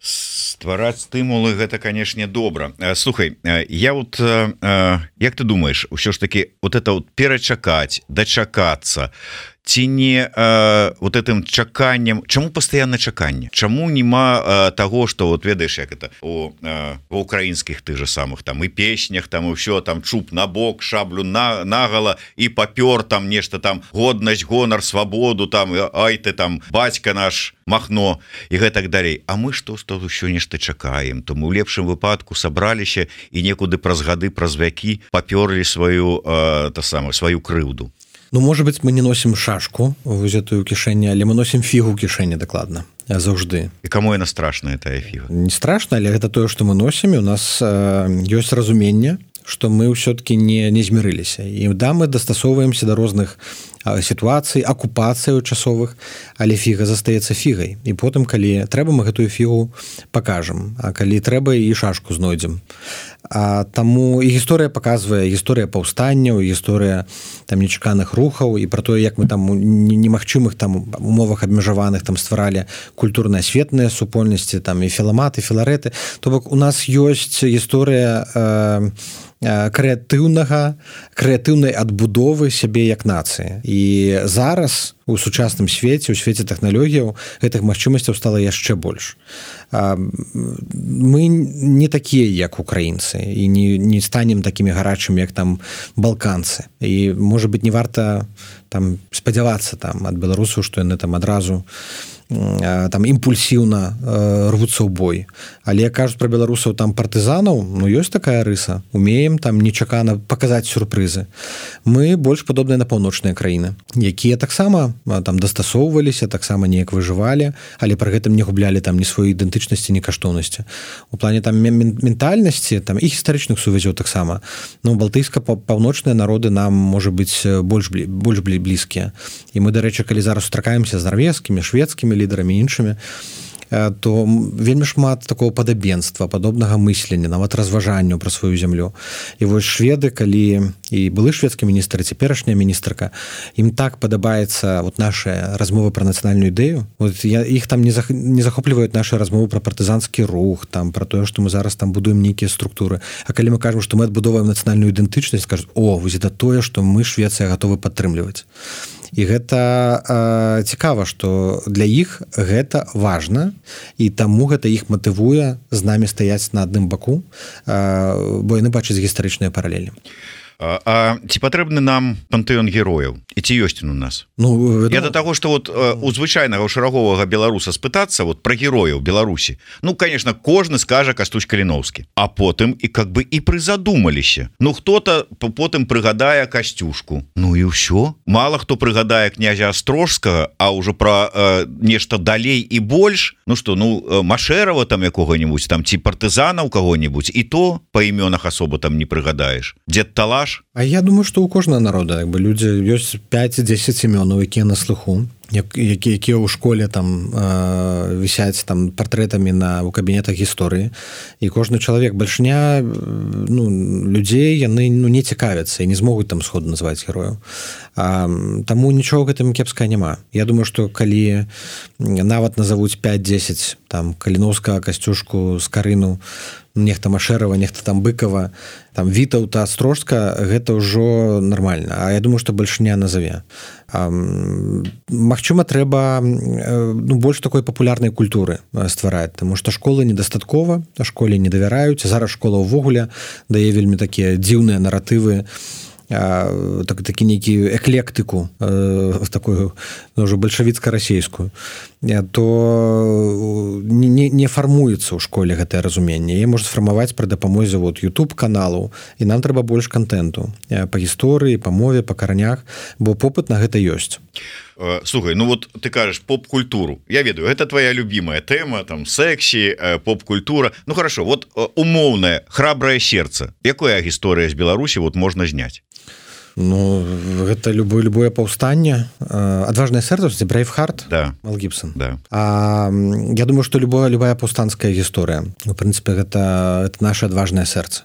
Ствараць стымулы гэта, канешне, добра. Слухай, я вот як ты думаеш, ўсё ж таки вот это вот перачакаць, дачакацца, ці не вот этим чаканнем, чаму пастаянна чаканне, чаму нема того, что вот ведаеш, як это у украінскіх ты же самых там і песнях там і ўсё там чуб на бок, шаблю нагала і папёр там нешта там годнасць, гонар, свабоду там, ай ты там бацька наш Махно і гэтак далей. А мы што ўсё нешта чакаем, то мы ў лепшым выпадку сабраліся і некуды праз гады, праз вякі папёрлі сваю крыўду. Ну, может быть, мы не носим шашку взятую ў кішэні, але мы носим фігу ў кішэні дакладна заўжды. І каму яна страшная тая фіга? Не страшна, але гэта тое, што мы носім, і у нас ёсць разуменне, што мы ўсё-таки не змірыліся. І да, мы дастасоўваемся да розных сітуацый, акупацыяў часовых, але фіга застаецца фігай. І потым, калі трэба, мы гэтую фігу пакажам, а калі трэба, і шашку знойдзем. Таму і гісторыя паказвае, гісторыя паўстанняў, гісторыя там нечаканых рухаў і пра тое, як мы там у немагчымых там умовах абмежаваных там стваралі культурна-асветныя супольнасці, там і філаматы, філарэты. То бок у нас ёсць гісторыя крэатыўнай адбудовы сябе як нацыі. І зараз у сучасным свеце, у свеце тэхналогіяў гэтых магчымасцяў стала яшчэ больш. Мы не такія, як украінцы, і не станем такімі гарачымі, як там балканцы. І, можа быць, не варта там спадзявацца там ад беларусаў, што яны там адразу там імпульсіўна рвуцца ў бой. Але кажуць пра беларусаў там партызанаў, ну ёсць такая рыса, умеем там нечакана паказаць сюрпрызы. Мы больш падобныя на паўночныя краіны, якія таксама там дастасоўваліся, таксама неяк выжывалі, але пры гэтым не гублялі там ні сваёй ідэнтычнасці, ні каштоўнасці. У плане там ментальнасці там і гістарычных сувязяў таксама. Ну, балтыйска-паўночныя народы нам, можа быць, больш блізкія. І мы, дарэчы, калі зараз сустракаемся з нарвежскімі, шведскімі лідарамі іншымі, то вельмі шмат такого падабенства, падобнага мыслення, нават разважанняў пра сваю зямлю. І вось шведы, калі і былы шведскі міністр, і цяперашняя міністрка, ім так падабаецца вот наша размова пра нацыянальную ідэю. Вот іх там не захопліваюць нашы размовы пра партызанскі рух, там пра тое, што мы зараз там будуем нейкія структуры. А калі мы кажам, што мы адбудоўваем нацыянальную ідэнтычнасць, кажуць: "О, вось гэта тое, што мы, Швецыя, гатовы падтрымліваць". І гэта цікава, што для іх гэта важна, і таму гэта іх матывуе з намі стаяць на адным баку, бо яны бачаць гістарычныя паралелі. А ці патрэбны нам пантэон герояў? І ці ёсць он у нас? Ну, я до таго, што вот у звычайнага шараговага беларуса спытацца вот пра герояў Беларусі. Ну, конечно, кожны скажа Кастусь Каліноўскі. А потым і как бы і прызадумаліся. Ну, хто-то потым прыгадае Касцюшку. Ну і ўсё. Мала хто прыгадае князя Астрожскага, а ўжо пра нешта далей і больш. Ну што, Машэрава там якога-небудзь, там ці партызана ў каго-небудзь, і то па імёнах асоба там не прыгадаеш. Дзед Талаш. А я думаю, што ў кожнага народа людзі ёсць 5-10 імёнаў, якія на слыху, якія ў школе там вісяць там партрэтамі у кабінетах гісторыі, і кожны чалавек, бальшыня людзей, яны не цікавяцца і не змогуць там сходу называць герояў. Таму нічога гэтым кепскага няма. Я думаю, што калі нават назавуць 5-10 там Каліноўскага, Касцюшку, Скарыну, нехта Машэрава, нехта там Быкова, там Вітаўта, Астрожска, гэта ўжо нармальна. А я думаю, што бальшыня назаве. Магчыма, трэба больш такой папулярнай культуры ствараць, таму што школы недастаткова, школе не давяраюць. Зараз школа ўвогуле дае вельмі такія дзіўныя наратывы, такі нейкі эклектыку, такую ўжо бальшавіцка-расейскую, то не фармуецца ў школе гэтае разуменне. Яе можна сфармаваць пры дапамозе YouTube-каналу, і нам трэба больш кантэнту па гісторыі, па мове, па каранях, бо попыт на гэта ёсць. слухай, ну вот ты кажешь поп-культуру, я ведаю, это твоя любимая тема, там секси, поп-культура, ну хорошо, вот умоўное храброе сердце, якая гісторыя з Беларусі вот можна зняць? Ну гэта любое паўстанне, адважная сэрца, Брейвхарт, да. Мэл Гібсон. Да. Я думаю, што любая паўстанцкая гісторыя, у прынцыпе гэта наше адважнае сэрца.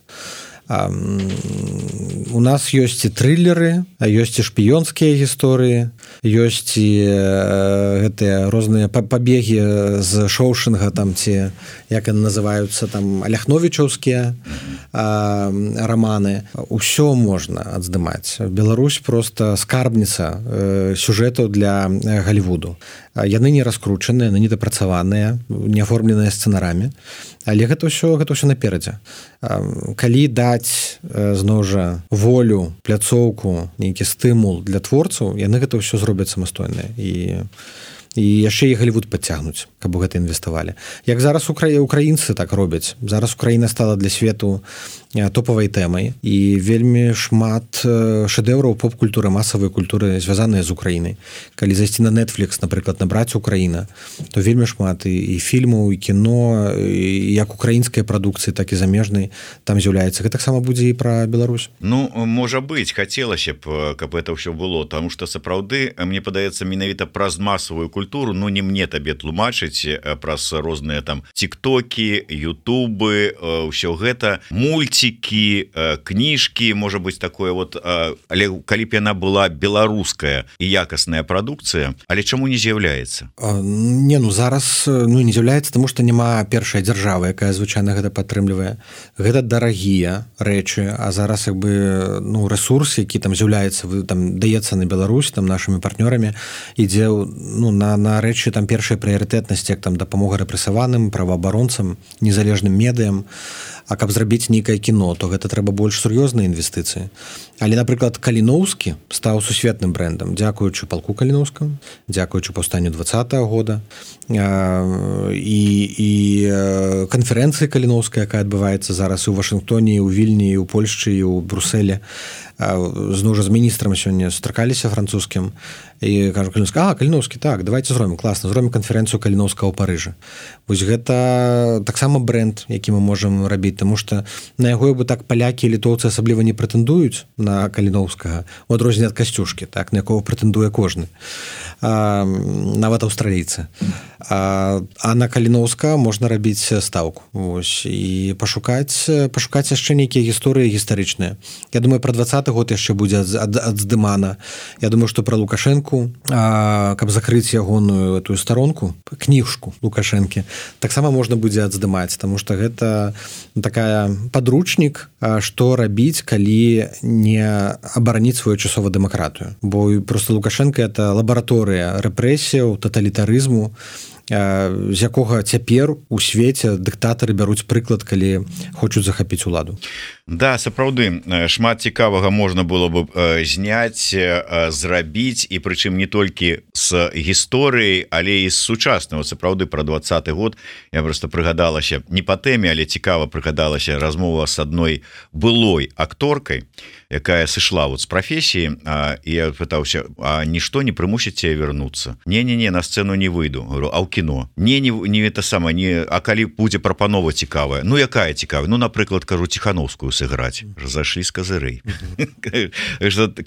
У нас ёсць і трыллеры, а ёсць і шпіёнскія гісторыі, ёсць і гэтыя розныя пабегі з Шоушэнга, там ці як яны называюцца, там аляхновічаўскія раманы. Усё можна адздымаць. Беларусь просто скарбніца сюжэтаў для Галівуду. Яны не раскручаныя, яны недапрацаваныя, не аформленыя сцэнарамі, але гэта ўсё наперадзе. Калі даць зноў жа волю, пляцоўку, нейкі стымул для творцаў, яны гэта ўсё зробяць самастойна і яшчэ і Галівуд падцягнуць, каб у гэта інвеставалі. Як зараз украінцы так робяць. Зараз Украіна стала для свету топавай тэмай і вельмі шмат шэдэўраў поп-культуры, масавай культуры звязаныя з Украінай. Калі зайсці на Netflix, напрыклад, набраць Украіна, то вельмі шмат і фільмаў, і кіно, і як украінскай прадукцыі, так і замежнай там з'яўляецца. Гэта таксама будзе і пра Беларусь. Ну, можа быць, хацелася б, каб это ўсё было, таму што сапраўды, мне падаецца, менавіта праз масавую культуру, ну не мне табе тлумачыць, праз розныя там тиктокі, ютубы, ўсё гэта, мульцікі, кніжкі, можа быць такое вот, але калі б яна была беларуская і якасная прадукцыя, але чаму не з'яўляецца? Не, ну зараз не з'яўляецца, таму што няма першай дзяржавы, якая звычайна гэта падтрымлівае. Гэта дарагія рэчы, а зараз як бы рэсурс, які там з'яўляецца, там даецца на Беларусь, там нашымі партнёрамі, ідзе на рэчы там першай прыярытэтнасці, як там дапамога рэпрэсаваным, праваабаронцам, незалежным медыям. А каб зрабіць нейкае кіно, то гэта трэба больш сур'ёзныя інвестыцыі. Але, напрыклад, Каліноўскі стаў сусветным брэндам, дзякуючы палку Каліноўскаму, дзякуючы паўстанню 20-го года, і канферэнцыі Каліноўскай, якая адбываецца зараз і ў Вашынгтоне, і ў Вільні, і ў Польшчы, і ў Брусэле. Зноў жа з міністрам сёння сустракаліся французскім і кажу Каліноўскі, Каліноўскі, так, давайте зробім, класна, зробім канферэнцыю Каліноўскага ў Парыжы. Вось гэта таксама брэнд, які мы можам рабіць, таму што на яго бы так палякі і літоўцы асабліва не прэтэндуюць на Каліноўскага, у адрозненне ад Касцюшкі, так, на якого прэтэндуе кожны, нават аўстралійцы. А на Каліноўска можна рабіць стаўку, вось, і пашукаць яшчэ нейкія гісторыі гістарычныя. Я думаю, пра 20-й год яшчэ будзе адздымана. Я думаю, што пра Лукашэнку, каб закрыць ягоную этую старонку, кніжку Лукашэнкі, таксама можна будзе адздымаць, таму што гэта такая падручнік, што рабіць, калі не абараніць своечасова дэмакратыю. Бо проста Лукашэнка — это лабараторыя рэпрэсіяў, таталітарызму, з якога цяпер у свеце дыктатары бяруць прыклад, калі хочуць захапіць уладу. Да, сапраўды, шмат цікавага можна было бы зняць, зрабіць, і прычым не толькі з гісторыяй, але і з сучаснага. Сапраўды, пра 20-й год я проста прыгадалася, не па тэме, але цікава прыгадалася размова з адной былой акторкай, якая сышла вот з прафесіі, і я пытаўся, а нішто не прымусіць цябе вярнуцца? Не-не-не, на сцэну не выйду. Говорю, а ў кіно? Не это самае, не, а калі будзе прапанова цікавая? Ну, якая цікавая? Ну, напрыклад, кажу, Ціхановскую сыграць. Разашлі з казырэй.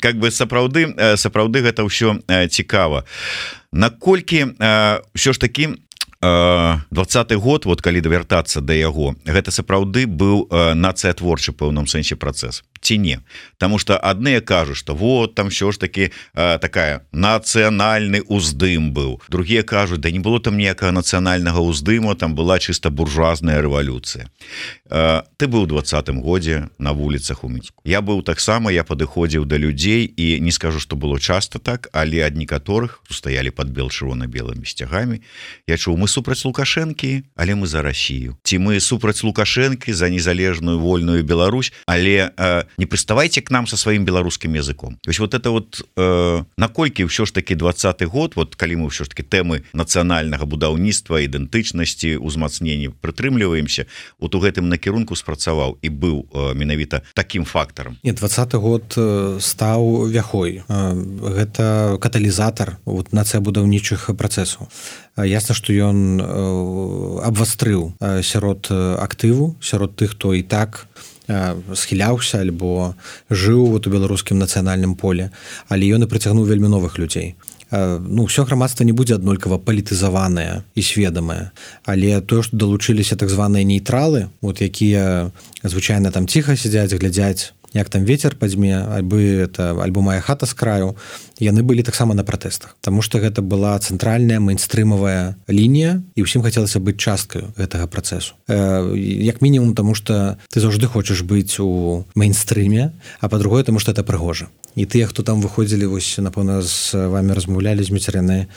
Как бы сапраўды гэта ўсё цікава. Наколькі ўсё ж такі 20-й год, вот калі давяртацца да яго, гэта сапраўды быў нацыятворчы пэўным сэнсе працэс, ці не? Таму што адныя кажуць, што вот там ўсё ж такі такая нацыянальны ўздым быў, другія кажуць, да не было там ніякага нацыянальнага ўздыму, там была чыста буржуазная рэвалюцыя. Ты быў у 20-м годзе на вуліцах у Мінску. Я быў таксама, я падыходзіў да людзей, і не скажу, што было часта так, але ад некаторых стаялі пад чырвона-белымі сцягамі, я чуў, мы супраць Лукашэнкі, але мы за Расію. Ці мы супраць Лукашэнкі, за незалежную вольную Беларусь, але не прыставайце к нам со сваім беларускім языком. То есть вот это вот наколькі ўсё ж таки 20-й год, вот калі мы ўсё ж таки тэмы нацыянальнага будаўніцтва, ідэнтычнасці, узмацнення прытрымліваемся, вот у гэтым накірунку спрацаваў і быў менавіта таким фактарам. Не, 20-й год стаў вяхой. Гэта каталізатар вот нацыябудаўнічых працэсаў. Ясна, што ён абвастрыў сярод актыву, сярод тых, хто і так схіляўся альбо жыў вот у беларускім нацыянальным поле, але ён і прыцягнуў вельмі новых людзей. Ну, ўсё грамадства не будзе аднолькава палітызаванае і сведамае, але тое, што далучыліся так званыя нейтралы, вот якія звычайна там ціха сядзяць, глядзяць, як там ветер падзьме, альбо мая хата з краю, яны былі таксама на пратэстах, таму што гэта была цэнтральная мейнстрымавая лінія і ўсім хацелася быць часткаю гэтага працэсу. Як мінімум, таму што ты заўжды хочаш быць у мейнстрыме, а па-другое, таму што это прыгожа. І тыя, хто там выходзілі, вось, напэўна, з вамі размаўлялі з Міцяряны,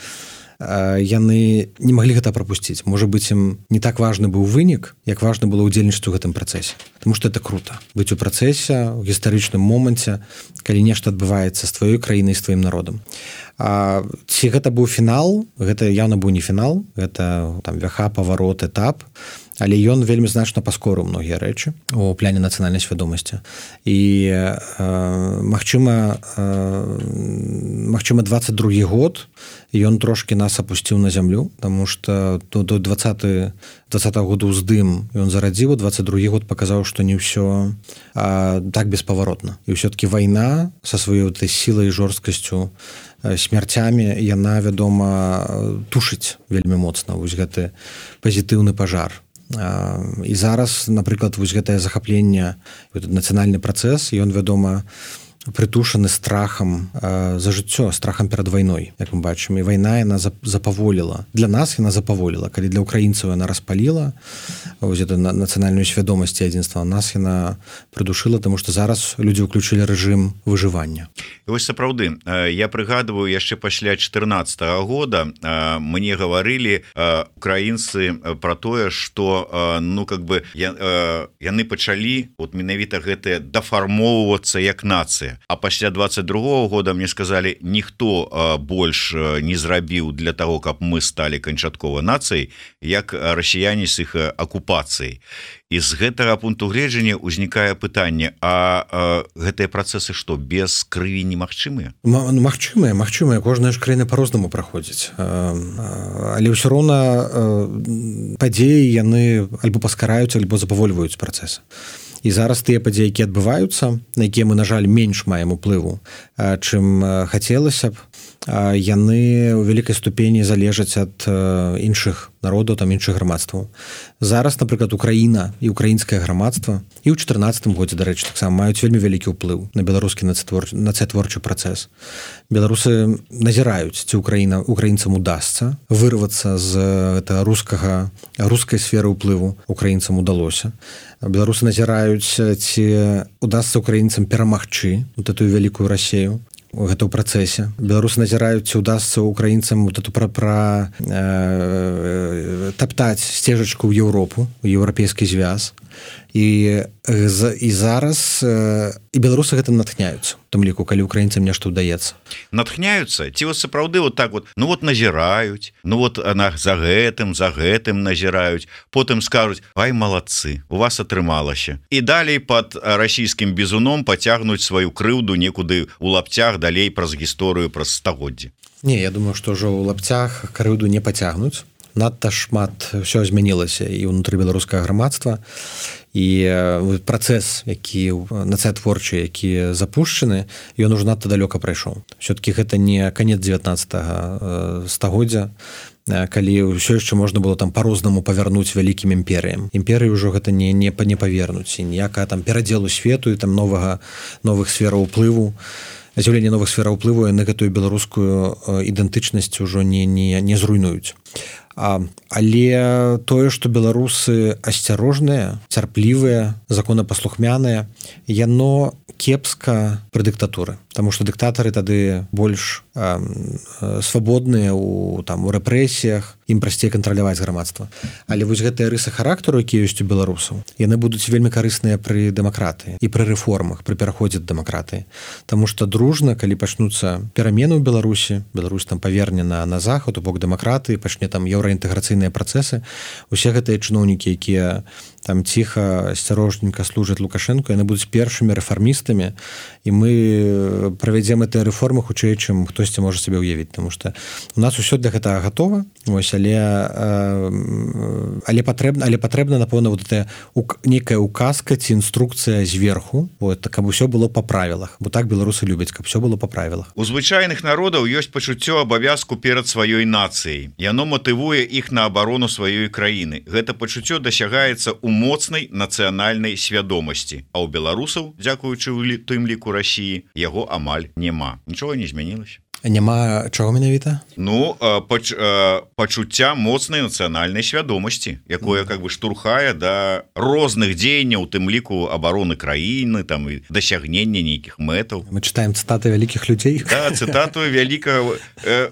яны не маглі гэта прапусціць. Можа быць, ім не так важны быў вынік, як важна было ўдзельнічаць у гэтым працэсе. Таму што это круто. Быць у працэсе, у гістарычным моманце, калі нешта адбываецца з тваёй краінай, з тваім народам. Ці гэта быў фінал? Гэта явно быў не фінал. Гэта там вяха, паварот, этап. Але ён вельмі значна паскорыў многія рэчы у пляне нацыянальнай свядомасці. І магчыма 22-й год ён трошки нас апусціў на зямлю, таму што до 20-го году ўздым ён зарадзіў, 22-й год паказаў, што не ўсё так беспаваротна. І ўсё-таки вайна са сваёй сілай і жорсткасцю, смярцямі, яна, вядома, тушыць вельмі моцна вось гэты пазітыўны пажар. І зараз, напрыклад, вось гэтае захапленне, нацыянальны працэс, ён, вядома, прытушаны страхам за жыццё, страхам перад вайной, як мы бачым. І вайна, яна запаволіла. Для нас яна запаволіла. Калі для украінцаў яна распаліла нацыянальную свядомасць і адзінства, нас яна прыдушыла, таму што зараз людзі ўключылі рэжым выжывання. І вось сапраўды, я прыгадваю, яшчэ пасля 14-го года мне гаварылі украінцы пра тое, што ну, как бы, яны пачалі вот менавіта гэтыя дафармоўвацца як нацыя. А пасля 22-го года мне сказалі, ніхто больш не зрабіў для того, каб мы сталі канчаткова нацыяй, як расіяне з іх акупацыяй. І з гэтага пункту гледжання ўзнікае пытанне, а гэтыя працэсы што, без крыві немагчымыя? Магчымыя. Кожная ж краіна па-рознаму праходзіць. Але ўсё роўна падзеі яны альбо паскараюць, альбо запавольваюць працэс. І зараз тыя падзеі, якія адбываюцца, на якія мы, на жаль, менш маем уплыву, чым хацелася б, яны ў вялікай ступені залежаць ад іншых народаў, там іншых грамадстваў. Зараз, напрыклад, Украіна і украінскае грамадства і ў 14-м годзе, дарэчы, таксама маюць вельмі вялікі ўплыў на беларускі нацыятворчы працэс. Беларусы назіраюць, ці украінцам удасца вырвацца з рускай сферы ўплыву, украінцам удалося. Беларусы назіраюць, ці удасца украінцам перамагчы вот эту вялікую Расію. Гэта ў працэсе. Беларусы назіраюць, ці ўдасца украінцам вот эту таптаць сцежачку ў Еўропу, у еўрапейскі звяз. І зараз і беларусы гэтым натхняюцца, у тым ліку, калі украінцам нешта ўдаецца. Натхняюцца? Ці вот сапраўды вот так вот, ну вот назіраюць, ну вот за гэтым назіраюць, потым скажуць, ай, малацы, у вас атрымалася. І далей пад расійскім бізуном пацягнуць сваю крыўду некуды ў лапцях далей праз гісторыю, праз стагоддзі. Не, я думаю, што ўжо ў лапцях крыўду не пацягнуць. Надта шмат ўсё змянілася і ўнутры беларускага грамадства, і працэс, які нацыятворчы, які запушчаны, ён ужо надта далёка прайшоў. Все-таки гэта не канец 19 стагоддзя, калі ўсё яшчэ можна было там па-рознаму павярнуць вялікім імперыям. Імперыі ўжо гэта не павернуць, і ніякага там перадзелу свету і там новых сфераў уплыву. З'яўленне новых сфераў уплыву на гэтую беларускую ідэнтычнасць ужо не зруйнуюць. Але тое, што беларусы асцярожныя, цярплівыя, законапаслухмяныя, яно кепска пры дыктатуры. Таму што дыктатары тады больш свабодныя у рэпрэсіях, ім прасцей кантраляваць грамадства. Але вось гэтыя рысы характару, якія ёсць у беларусаў, яны будуць вельмі карысныя пры дэмакратыі і пры рэформах, пры пераходзе да дэмакратыі. Таму што дружна, калі пачнуцца перамены ў Беларусі, Беларусь там паверне на захад, у бок дэмакратыі, пачне там еўраінтэграцыйныя працэсы, усе гэтыя чыноўнікі, якія там ціха, асцярожненька служаць Лукашэнку, яны будуць першымі рэфармістамі, і мы правядзем гэтыя рэформы хутчэй, чым хтосьці можа сабе ўявіць, таму што у нас усё для гэтага гатова, вось, але патрэбна, напэўна, вот гэта нейкая указка ці інструкцыя зверху, вот, каб усё было па правілах, бо так беларусы любяць, каб усё было па правілах. У звычайных народаў ёсць пачуццё абавязку перад сваёй нацыяй. Яно матывуе іх на абарону сваёй краіны. Гэта пачуццё дасягаецца ў моцнай нацыянальнай свядомасці, а ў беларусаў, дзякуючы ў тым ліку Расіі, яго амаль няма. Нічога не змянілася. Няма чаго менавіта? Ну, пачуцця моцнай нацыянальнай свядомасці, якое как бы штурхае да розных дзеянняў, у тым ліку абароны краіны, там і дасягнення нейкіх мэтаў. Мы чытаем цытаты вялікіх людзей. Да, цытату вялікага.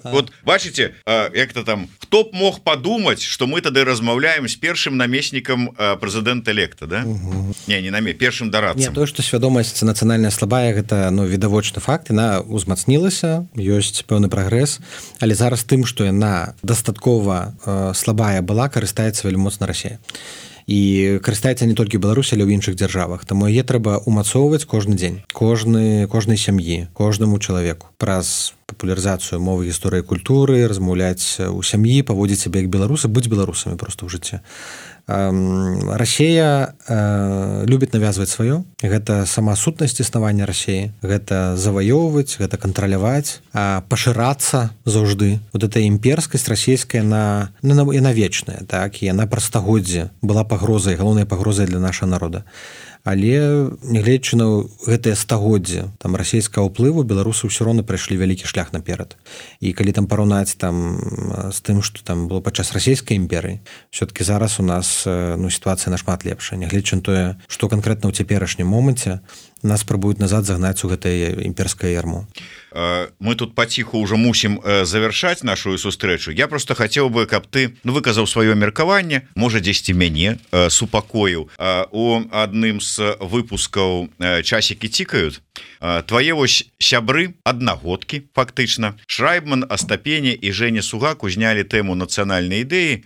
Вот бачыце, як-то там, хто б мог падумаць, што мы тады размаўляем з першым намеснікам прэзідэнта-электа, да? Не першым дарадцам. Не, тое, што свядомасць нацыянальная слабая, гэта відавочны факт, яна ўзмацнілася, ёсць пэўны прагрэс, але зараз тым, што яна дастаткова слабая была, карыстаецца вельмі моцна Расія. І карыстаецца не толькі ў Беларусі, але ў іншых дзяржавах. Таму яе трэба умацоўваць кожны дзень, кожнай сям'і, кожнаму чалавеку. Праз папулярызацыю мовы, гісторыі, культуры, размаўляць у сям'і, паводзіць сябе як беларусы, быць беларусамі проста ў жыцці. Расія любіць навязваць сваё. Гэта сама сутнасць існавання Расіі. Гэта заваёўваць, гэта кантраляваць, пашырацца заўжды. Вот эта імперскасць расійская, яна вечная, так? І яна праз стагоддзі была пагрозай, галоўнай пагрозай для нашага народа. Але нягледзячы на гэтыя стагоддзі там расійскага ўплыву, беларусы ўсё роўна прайшлі вялікі шлях наперад. І калі там параўнаць там з тым, што там было падчас расійскай імперыі, все-таки зараз у нас сітуацыя нашмат лепшая. Нягледзячы на тое, што канкрэтна ў цяперашнім моманце нас спрабуюць назад загнаць у гэтае імперскае ярмо. Мы тут паціху ўжо мусім завяршаць нашу сустрэчу. Я просто хацеў бы, каб ты выказаў сваё меркаванне, можа дзесьці мяне супакоіў. У адным з выпускаў часікі цікаюць. Твае вось сябры, аднагодкі, фактычна, Шрайбман, Астапене і Женя Сугак узнялі тэму нацыянальнай ідэі,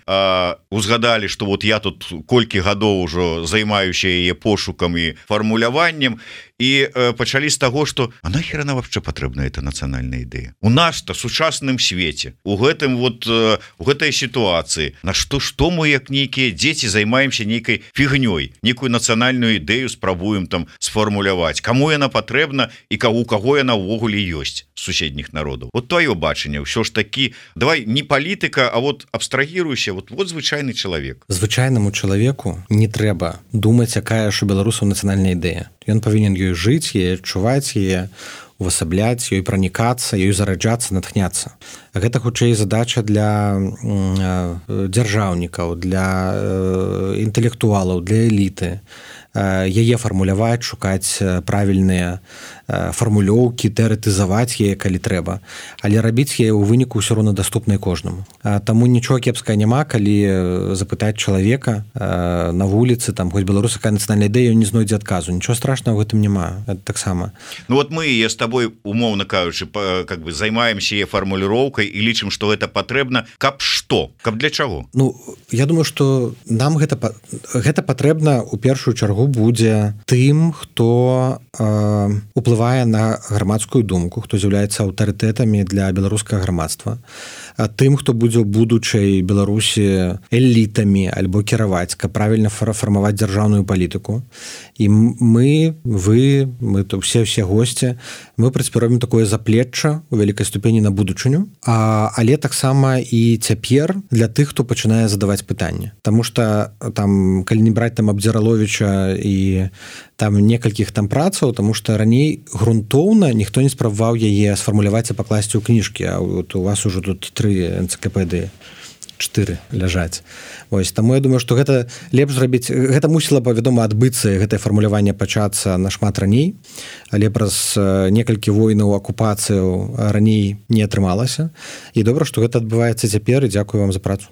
узгадалі, што вот я тут колькі гадоў ужо займаюся яе пошукам і фармуляваннем, і пачалі з таго, што а нахер она вообще патрэбна эта нацыянальная ідэя? У нас-то сучасным свеце, у гэтым вот у гэтай сітуацыі, на што мы як нейкія дзеці займаемся нейкай фігнёй, нейкую нацыянальную ідэю спрабуем там сфармуляваць, каму яна патрэбна і у каго яна ўвогуле ёсць з суседніх народаў. Вот твоё бачанне, ўсё ж такі, давай не палітыка, а вот абстрагіруйся, вот звычайны чалавек. Звычайнаму чалавеку не трэба думаць, якая ж у беларусаў нацыянальная ідэя. Ён павінен ёй жыць, яе адчуваць, яе увасабляць, ёй пранікацца, ёй зараджацца, натхняцца. Гэта хутчэй задача для дзяржаўнікаў, для інтэлектуалаў, для эліты. Яе фармуляваць, шукаць правільныя фармулёўкі, тэарэтызаваць яе, калі трэба. Але рабіць яе ў выніку ўсё роўна даступнай кожнаму. Таму нічога кепскага няма, калі запытаць чалавека на вуліцы, там, хоць беларусы, якая нацыянальная ідэя, не знойдзе адказу. Нічога страшнага ў гэтым няма. Это таксама. Ну вот мы з табой, умоўна кажучы, как бы займаемся яе фармуліроўкай і лічым, што гэта патрэбна. Каб што? Каб для чаго? Ну, я думаю, што нам гэта патрэбна ў першую чаргу будзе тым, хто уплывае на грамадскую думку, хто з'яўляецца аўтарытэтамі для беларускага грамадства, тым, хто будзе ў будучай Беларусі элітамі альбо кіраваць, каб правільна фармаваць дзяржаўную палітыку. І мы усе госці, мы робім такое заплечча у вялікай ступені на будучыню, але таксама і цяпер для тых, хто пачынае задаваць пытанні. Таму што там, калі не браць там Абдзіраловіча і там некалькіх там працаў, таму што раней грунтоўна ніхто не спрабаваў яе сфармуляваць і пакласці ў кніжкі, а вот у вас ужо тут 3 энцыклапедыі 4 ляжаць. Вось, таму я думаю, што гэта лепш зрабіць, гэта мусіла б, вядома, адбыцца, гэтае фармуляванне пачацца нашмат раней, але праз некалькі войнаў, акупацыяў раней не атрымалася. І добра, што гэта адбываецца цяпер, і дзякую вам за працу.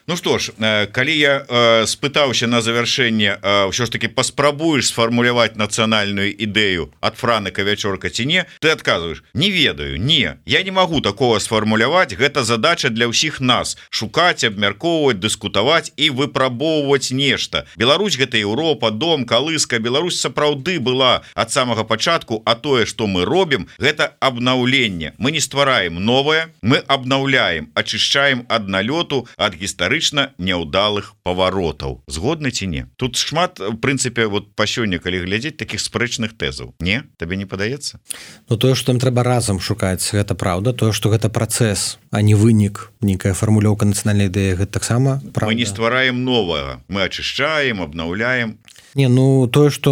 Ну что ж, калі я спытаўся на завяршэнне, ўсё ж таки паспрабуеш сфармуляваць нацыянальную ідэю ад Франыка Вячорка ці не, ты адказваеш: не ведаю, не, я не магу такого сфармуляваць, гэта задача для ўсіх нас, шукаць, абмяркоўваць, дыскутаваць і выпрабоўваць нешта. Беларусь гэта Еўропа, дом, калыска, Беларусь сапраўды была ад самага пачатку, а тое, што мы робім, гэта абнаўленне. Мы не ствараем новае, мы абнаўляем, ачышчаем ад налёту, ад гістарычных няўдалых паваротаў. Згодны ці не? Тут шмат, в прынцыпе, вот па сёння, калі глядзець, такіх спрэчных тэзаў. Не? Табе не падаецца? Ну, тое, што нам трэба разам шукаць, гэта праўда. Тое, што гэта працэс, а не вынік, нейкая фармулёўка нацыянальнай ідэі, гэта таксама праўда. Мы не ствараем новага, мы ачышчаем, абнаўляем. Не, ну, тое, што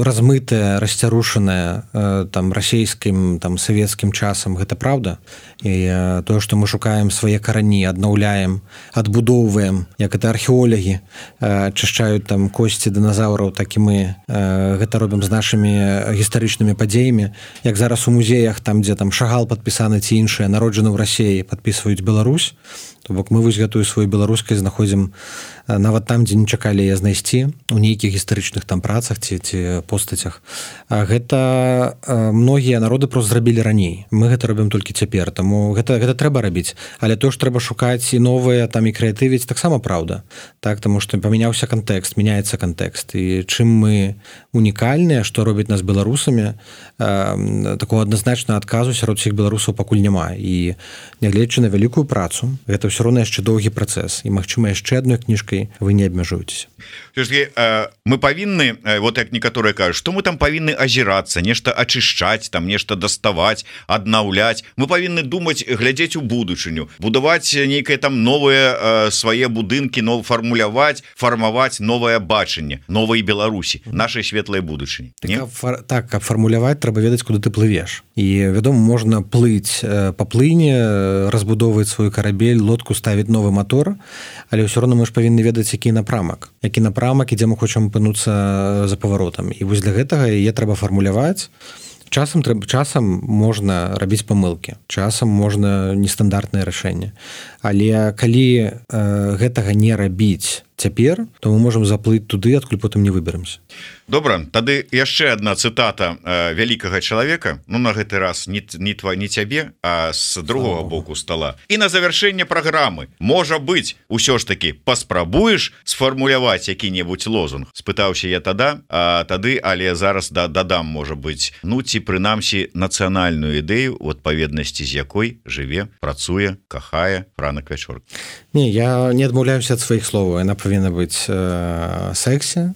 размытае, расцярушанае там расійскім, там савецкім часам, гэта праўда. І тое, што мы шукаем свае карані, аднаўляем, адбудоўваем, як это археолагі ачышчаюць там косці дыназаўраў, так і мы гэта робім з нашымі гістарычнымі падзеямі. Як зараз у музеях, там, дзе там Шагал падпісаны ці іншыя, народжаны ў Расіі, падпісваюць Беларусь, то бок мы вось гэтую сваю беларускай знаходзім нават там, дзе не чакалі яе знайсці, у нейкіх гістарычных там працах ці постацях. Гэта многія народы проста зрабілі раней. Мы гэта робім толькі цяпер, таму гэта трэба рабіць. Але то, што трэба шукаць і новыя там і крэатывіць, таксама праўда. Так, таму што памяняўся кантэкст, мяняецца кантэкст. І чым мы унікальныя, што робіць нас беларусамі, такого адназначнага адказу сярод усіх беларусаў пакуль няма. І нягледзячы на вялікую працу, гэта ўсё роўна яшчэ доўгі працэс. І, магчыма, яшчэ адной кніжкай вы не абмяжуецеся. Мы павінны, вот як некаторыя кажуць, што мы там павінны азірацца, нешта ачышчаць, там нешта даставаць, аднаўляць. Мы павінны думаць, глядзець у будучыню, будаваць нейкае там новыя свае будынкі, фармаваць новае бачанне новай Беларусі, нашай светлай будучыні. Так, каб фармуляваць, трэба ведаць, куды ты плывеш. І, вядома, можна плыць па плыні, разбудоўваць свой карабель, лодку, ставіць новы мотор, але ўсё роўна мы ж павінны ведаць, які напрамак, і дзе мы хочам апынуцца за паваротам. І вось для гэтага яе трэба фармуляваць. Часам можна рабіць памылкі, часам можна нестандартнае рашэнне. Але калі гэтага не рабіць цяпер, то мы можам заплыць туды, адкуль потым не выберемся. Добра, тады яшчэ адна цытата вялікага чалавека, ну на гэты раз не цябе, а з другога боку стола. І на завяршэнне праграмы, можа быць, усё ж таки паспрабуеш сфармуляваць які-небудзь лозунг? Спытаўся я тады, але зараз дадам, можа быць, ну ці прынамсі нацыянальную ідэю, у адпаведнасці з якой жыве, працуе, кахае Франак Вячорка. Не, я не адмаўляюся ад сваіх словаў, яна павінна быць сэксі.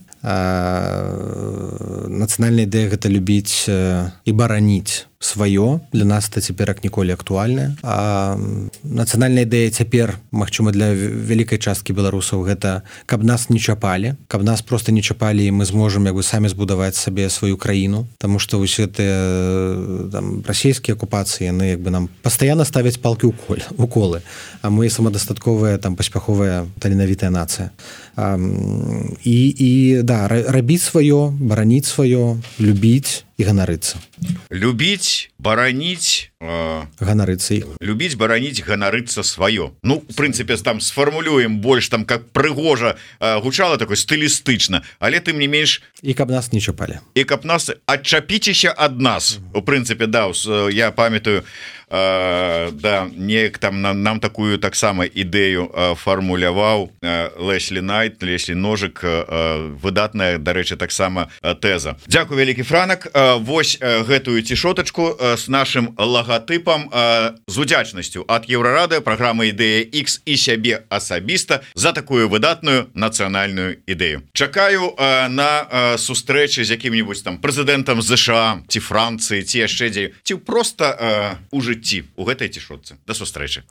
Нацыянальная ідэя гэта любіць і бараніць сваё. Для нас это цяпер як ніколі актуальна. А нацыянальная ідэя цяпер, магчыма, для вялікай часткі беларусаў, гэта каб нас не чапалі, каб нас просто не чапалі, і мы зможам як бы самі збудаваць сабе сваю краіну, таму што вось гэтыя там расійскія акупацыі, яны як бы нам пастаянна ставяць палкі ў колы, а мы самадастатковая там паспяховая таленавітая нацыя. І да, рабіць сваё, бараніць сваё, любіць і ганарыцца. Любіць, бараніць, ганарыцца. Любіць, бараніць, ганарыцца сваё. Ну, в прынцыпе, там сфармулюем больш там как прыгожа гучала, такой стылістычна, але тым не менш... І каб нас не чапалі. І каб нас... Адчапіцеся ад нас. У прынцыпе, да, я памятаю, да, неяк там нам такую таксама ідэю фармуляваў Леслі Найт, Леслі Ножык, выдатная, дарэчы, таксама тэза. Дзякуй, вялікі Франак. Вось гэтую цішотачку з нашым лагатыпам, з удзячнасцю ад Еўрарадыё, праграма «Ідэя X» і сябе асабіста за такую выдатную нацыянальную ідэю. Чакаю на сустрэчы з якім-небудзь там прэзідэнтам США ці Францыі, ці яшчэ дзе, ці проста у жыцці у гэтай цішотцы. Да сустрэчы.